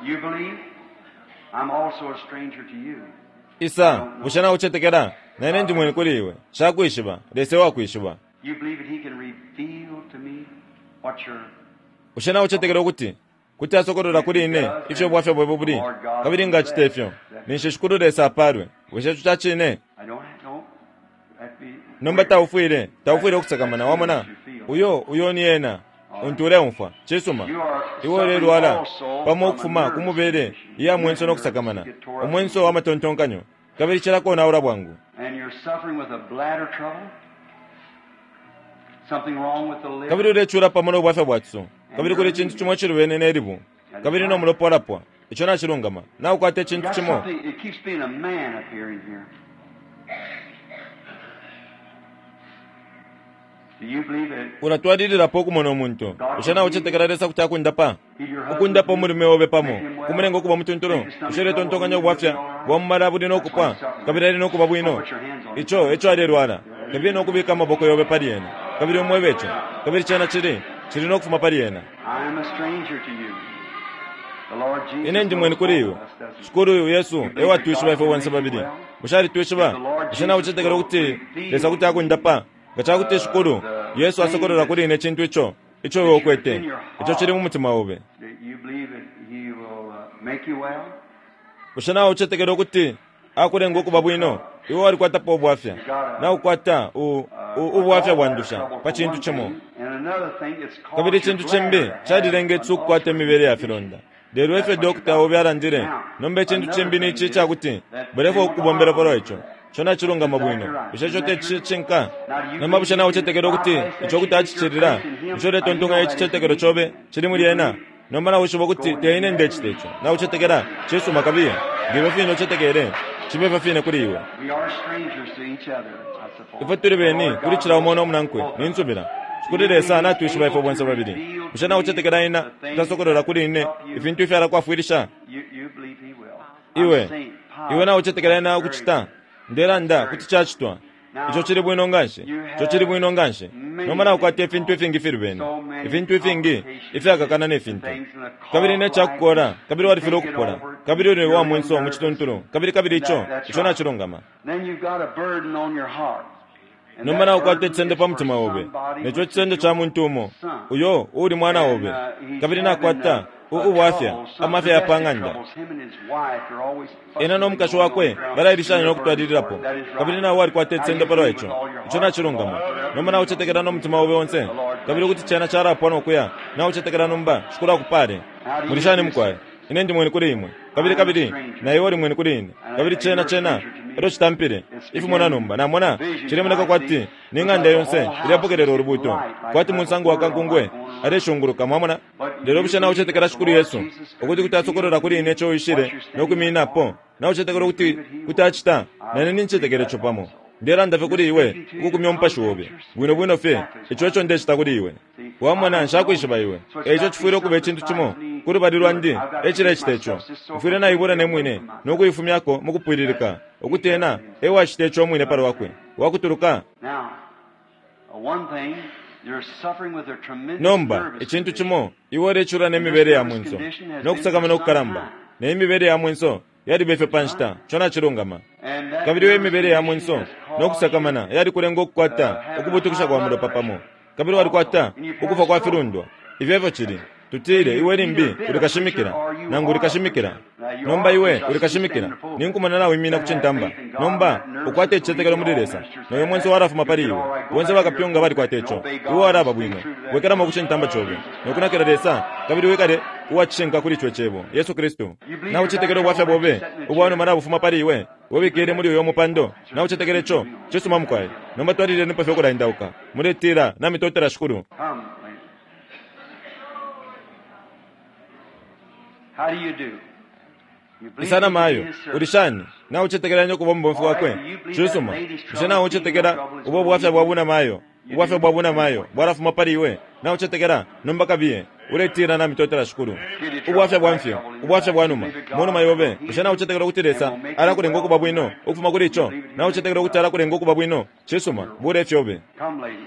You believe? I'm also a stranger to you. Isa, bushe naucetekela? Na ine ndi mweni kuli iwe. Nshakwishiba, Lesa ewakwishiba. You believe that he can reveal to me what your Bushe naucetekela ukuti kuti asokolola kuli ine ifyo bwafya bwebo buli? Kabili nga acita ifyo, ninshi Shikulu Lesa apalwe. Bushe ico ca cine? I don't don't that be Nomba taufwile, taufwile ukusakamana, wamona? Uyo, uyo ni ena, untu uleumfwa. Cisuma. Iwe ulelwala, pamo ukufuma ku mubele iya mwenso no kusakamana, umwenso wa matontonkanyo, kabili cilakonaula bwangu. And you're suffering with a bladder trouble? Something wrong with the liver? Kabili ulecula pamo no bwafya bwa ciso, kabili kuli icintu cimo icilubene ne libu, kabili no mulopa walapwa. Ico nacilungama. Naukwata You icintu got cimo. something, it keeps being a man up here in here. Do you believe it? Ulatwalililapo ukumona umuntu. Bushe naucetekela Lesa kuti akundapa? Heal your husband? Ukundapa umulume obe pamo, Make him well? kumulenga ukuba mutuntulu. Make his stomach Bushe uletontonkanya trouble ubwafya be all right? bwa mumala buli no kupwa, kabili ali no kuba bwino? Ico eco alelwala. Kabili no kubika amaboko yobe pali ena, kabili umwebe ico, kabili cena cili, cili no kufuma pali ena. I am a stranger to you. The Lord Jesus Ine ndi mweni knows kuli both iwe. of us, doesn't he? Shikulu Yesu ewatwishiba ifwe bonse babili. Bushe alitwishiba? Bushe naucetekela ukuti Lesa kuti akundapa? Nga cakuti Shikulu Yesu asokolola kuli ine icintu ico, ico iwe ukwete, ico cili mu mutima obe. Do you believe that he will make you well? Bushe naucetekela ukuti akulenga ukuba bwino? Iwe walikwatapo ubwafya. Naukwata ubwafya bwa ndusha pa cintu cimo. Kabili icintu cimbi calilenga ici ukukwata imibele ya filonda. Lelo efyo dokota obe alandile, nomba icintu cimbi ni ici icakuti bulefwa ukubombela palwa ico. Ico nacilungama bwino. Bushe ico te cishinka? Nomba bushe naucetekela ukuti ico kuti acicilila? Bushe uletontonkanya icicetekelo cobe cili muli ena? Nomba nawishiba ukuti te ine ndecita ico. Naucetekela? Cisuma, kabiye. Nge ifyo fine ucetekele, cibe ifyo fine kuli iwe. We are strangers to each other, I suppose. Ifwe tuli beni kuli cila umo no munankwe, ni nsubila. Shikulu Lesa natwishiba ifwe bonse babili. Bushe naucetekela ena kutasokolola kuli ine ifintu ifyalakwafwilisha? You, you believe he will. I'm Iwe, saying iwe naucetekela ena positive. ukucita? Ndelanda kuti cacitwa. Ico cili bwino nganshi. Ico cili bwino nganshi. Nomba naukwata ifintu ifingi fili bene. Ifintu ifingi ifyakakana ne fintu. Kabili ne cakukola, kabili walifilwa ukupola. Kabili uli wa mwenso mu cituntulu. Kabili kabili ico, ico nacilungama. Then you've got a burden on your heart. And Nomba that naukwata burden icisendo is pa for mutima obe. somebody Neco which cisendo is ca your muntu umo. son. Uyo uuli mwana And, obe. he's Kabili having nakwata a, a ubwafya, trouble, some amafya ya pa domestic ng'anda. troubles. Him and his wife are always Ena fussing no and mukashi going on wakwe around. balailishanya no You're burdened for kutwalililapo. it. That is Kabili right. nawe walikwata Now icisendo you palwa believe ico. with all your Ico heart. nacilungama. Nomba naucetekela no mutima obe onse. Kabili kuti cena calapwa no kuya. Naucetekela nomba, Shikulu akupale. Muli shani mukwai? Ine ndi mweni kuli imwe. Kabili kabili, na iwe uli mweni kuli ine. Kabili cena cena, elyo citampile. Ifimona nomba, namona, cilemoneka kwati ni ng'anda yonse ilyapokelela ulubuuto. Kwati munsango wa kankungwe, aleshunguluka, mwamona? Lelo bushe naucetekela Shikulu Yesu, ukuti kuti asokolola kuli ine ico uishile no kwimininapo. Naucetekela ukuti kuti acita, na ine nincetekela ico pamo. Ndelanda fye kuli iwe, ukukumya umupashi obe. Bwino bwino fye, ico eco ndecita kuli iwe. Wamona, nshakwishiba iwe. Eico cifwile ukuba icintu cimo ku lubali lwandi ecilecita ico. Mfwile naibula ne mwine no kuifumyako mu kupwililika, ukuti ena ewacita ico umwine palwakwe. Wakutuluka. Now, one thing, you're suffering with a tremendous Nomba, nervous icintu condition. cimo, iwe ulecula ne mibele ya mwenso, no kusakamana ukukalamba. Ne imibele ya mwenso yaliba ifyo pa nshita, ico nacilungama. And that Kabili iyo nervous imibele ya condition mwenso has no caused kusakamana yalikulenga ukukwata ukubutukisha kwa mulopa pamo. Kabili walikwata ukufa kwa filundwa. Ifyo efyo cili. Tutile iwe limbi uli kashimikila, nangu uli kashimikila. Nomba iwe uli kashimikila, ninkumona nawimina ku cintamba. Nomba ukwate icicetekelo muli Lesa, noyo mwenso walafuma pali iwe. Bonse bakapyunga balikwata ico. Iwe walaba bwino. Bwekelamo ku cintamba cobe, nokunakila Lesa, kabili wikale uwa cishinka kuli ico Cebo, Yesu Kristu. Naucetekela ubwafya bobe ubwanuma nabufuma pali iwe, we wikele muli uyo mupando. Naucetekela ico? Cisuma, mukwai. Nomba twalilenipo fye ukulaendauka, muletila, Namitotela, Shikulu. Come, lady. How do you do? You believe Isana you can mayo, be his servant. uli shani? Naucetekela ine ukuba umubomfi wakwe? Cisuma. Bushe naucetekela ubo bwafya bwa buna mayo? Ubwafya bwa buna mayo bwalafuma pali iwe. Naucetekela? Nomba kabiye, uletila, Namitotela, Shikulu. Ubwafya bwa mfyo, ubwafya bwa numa, munuma yobe. Bushe naucetekela ukuti Lesa alakulenga ukuba bwino ukufuma kuli ico? Naucetekela ukuti alakulenga ukuba bwino? Cisuma, bula ifyobe. Come, lady.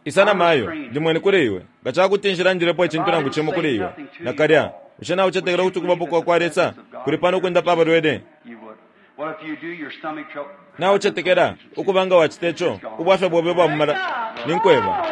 Isana mayo, ndi mweni kuli iwe. Nga ca kuti nshilandilepo icintu nangu cimo kuli iwe, nakalya. Bushe naucetekela ukuti ukubapo kwa kwa Lesa kuli pano ukundapa abalwele? You would. Well, if you do, your stomach trouble. Naucetekela ukuba nga wacita ico, ubwafya bobe bwa mumala ninkweba.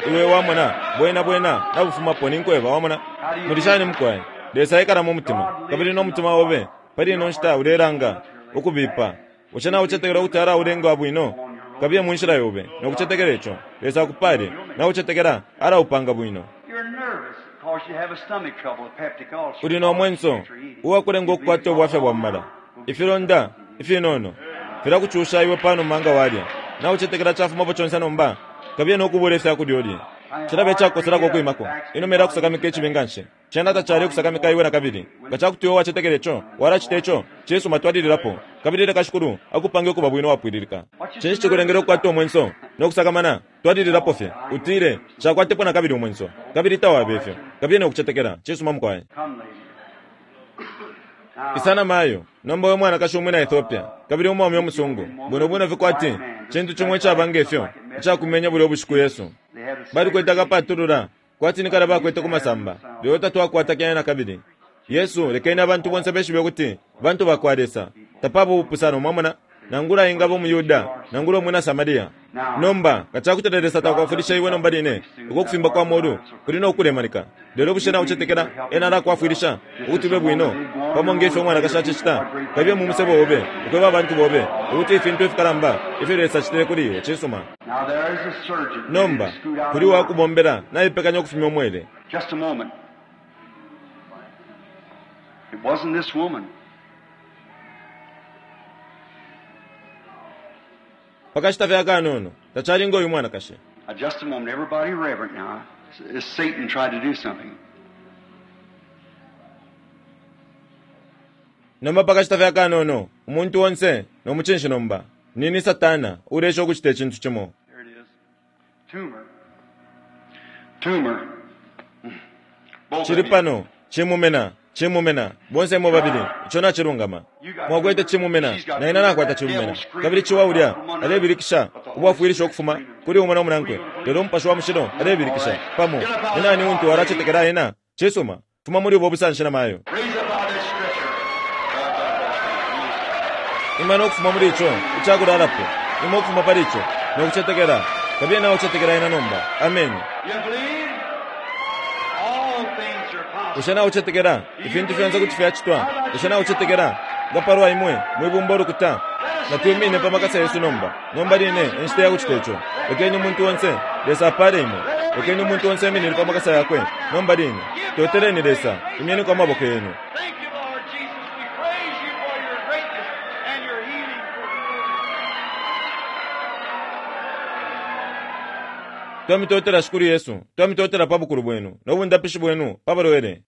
Iwe wamona, bwena bwena nabufumapo ninkweba, wamona. Muli shani mukwai? Lesa ekala mu mutima, kabili no mutima obe pali ino nshita ulelanga ukubipa. Bushe naucetekela ukuti alaulenga bwino? Kabiye mu nshila yobe nokucetekela ico. Lesa akupale. Naucetekela alaupanga bwino. You're nervous because you have a stomach trouble, a peptic ulcer. Uli no mwenso uwakulenga ukukwata ubwafya bwa mumala. Ifilonda ifinono filakucusha iwe panuma nga walya. Naucetekela cafumapo conse nomba. Kabiye nokubula ifyakulya ulye. Cilabe icakukoselako ukwimako. Inuma ilakusakamika icibi nganshi. Cena tacali kusakamika iwe nakabili. Nga cakuti iwe wacetekela ico, walacita ico, cisuma, twalililapo. Kabili leka Shikulu akupange ukuba bwino wapwililika. Cinshi cikulengele ukukwata umwenso no kusakamana? Twalililapo fye. Utile, nshakwatepo nakabili umwenso. Kabili tawabe ifyo. Kabiye no kucetekela. Cisuma, mukwai. Come, lady. Now, Isana mayo, nomba we mwanakashi umwina Ethiopia, kabili umwaume umusungu, bwino bwino fikwati, cintu cimo icaba ngefyo, icakumenya bulya ubushiku Yesu. they had a Balikwete akapatulula, kwati ni kale bakwete ku masamba, lelo tatwakwata kene na kabili. Yesu, lekeni abantu bonse beshibe ukuti bantu bakwa Lesa, tapaba ubupusano, mwamona, nangula ingaba umuYuda, nangula umwina Samaria. Nomba, nga ca kuti Lesa takwafwilisha iwe nomba line, uko kufimba kwa molu kuli no kulemanika. Lelo bushe naucetekela ena alakwafwilisha ukuti ube bwino, pamo nge fyo umwanakashi acicita? Kabiye mu musebo obe, ukweba abantu bobe ukuti ifintu ifikalamba ifyo Lesa acitile kuli iwe. Cisuma. Now there is a surgeon. Nomba, Scoot out kuli uwakubombela naipekanya ukufumya umwele. Just a moment. It wasn't this woman. Pakashita fye akanono, tacali ngo uyu mwanakashi. Now, just a moment. Everybody reverent now. As Satan tried to do something. Nomba pakashita fye akanono, umuntu onse no mucinshi nomba. Nini Satana uleesha ukucita icintu cimo. There it is. Tumor. Tumor. Both of Cili you. pano, cimumena, cimumena, bonse imwe babili, ico nacilungama. Mwakwete cimumena, na ine nakwata cimumena. Kabili ciwa ulya alebilikisha ubwafwilisho ukufuma kuli umo no munankwe, lelo Umupashi wa Mushilo alebilikisha pamo. Ni nani untu walacetekela ena? Cisuma, fuma muli ubo busanshi na mayo. Raise up out of that stretcher. Ima no kufuma muli ico icakulalapo, ima ukufuma pali ico no kucetekela. Kabiye nawe ucetekela ena nomba. Ameni. You believe? All things are possible. Bushe naucetekela ifintu fyonse kuti fyacitwa? Bushe naucetekela nga palwa imwe mwibumba ulukuta? Natwimine pa makasa yesu nomba. Nomba line enshita ya kucita ico. Lekeni umuntu onse, Lesa apale imwe. Lekeni umuntu onse eminine pa makasa yakwe nomba line. Toteleni Lesa, imyeniko amaboko yenu. Thank you, Lord Jesus. We praise you for your greatness and your healing. Twamitotela Shikulu Yesu, twamitotela pa bukulu bwenu no bundapishi bwenu pa balwele.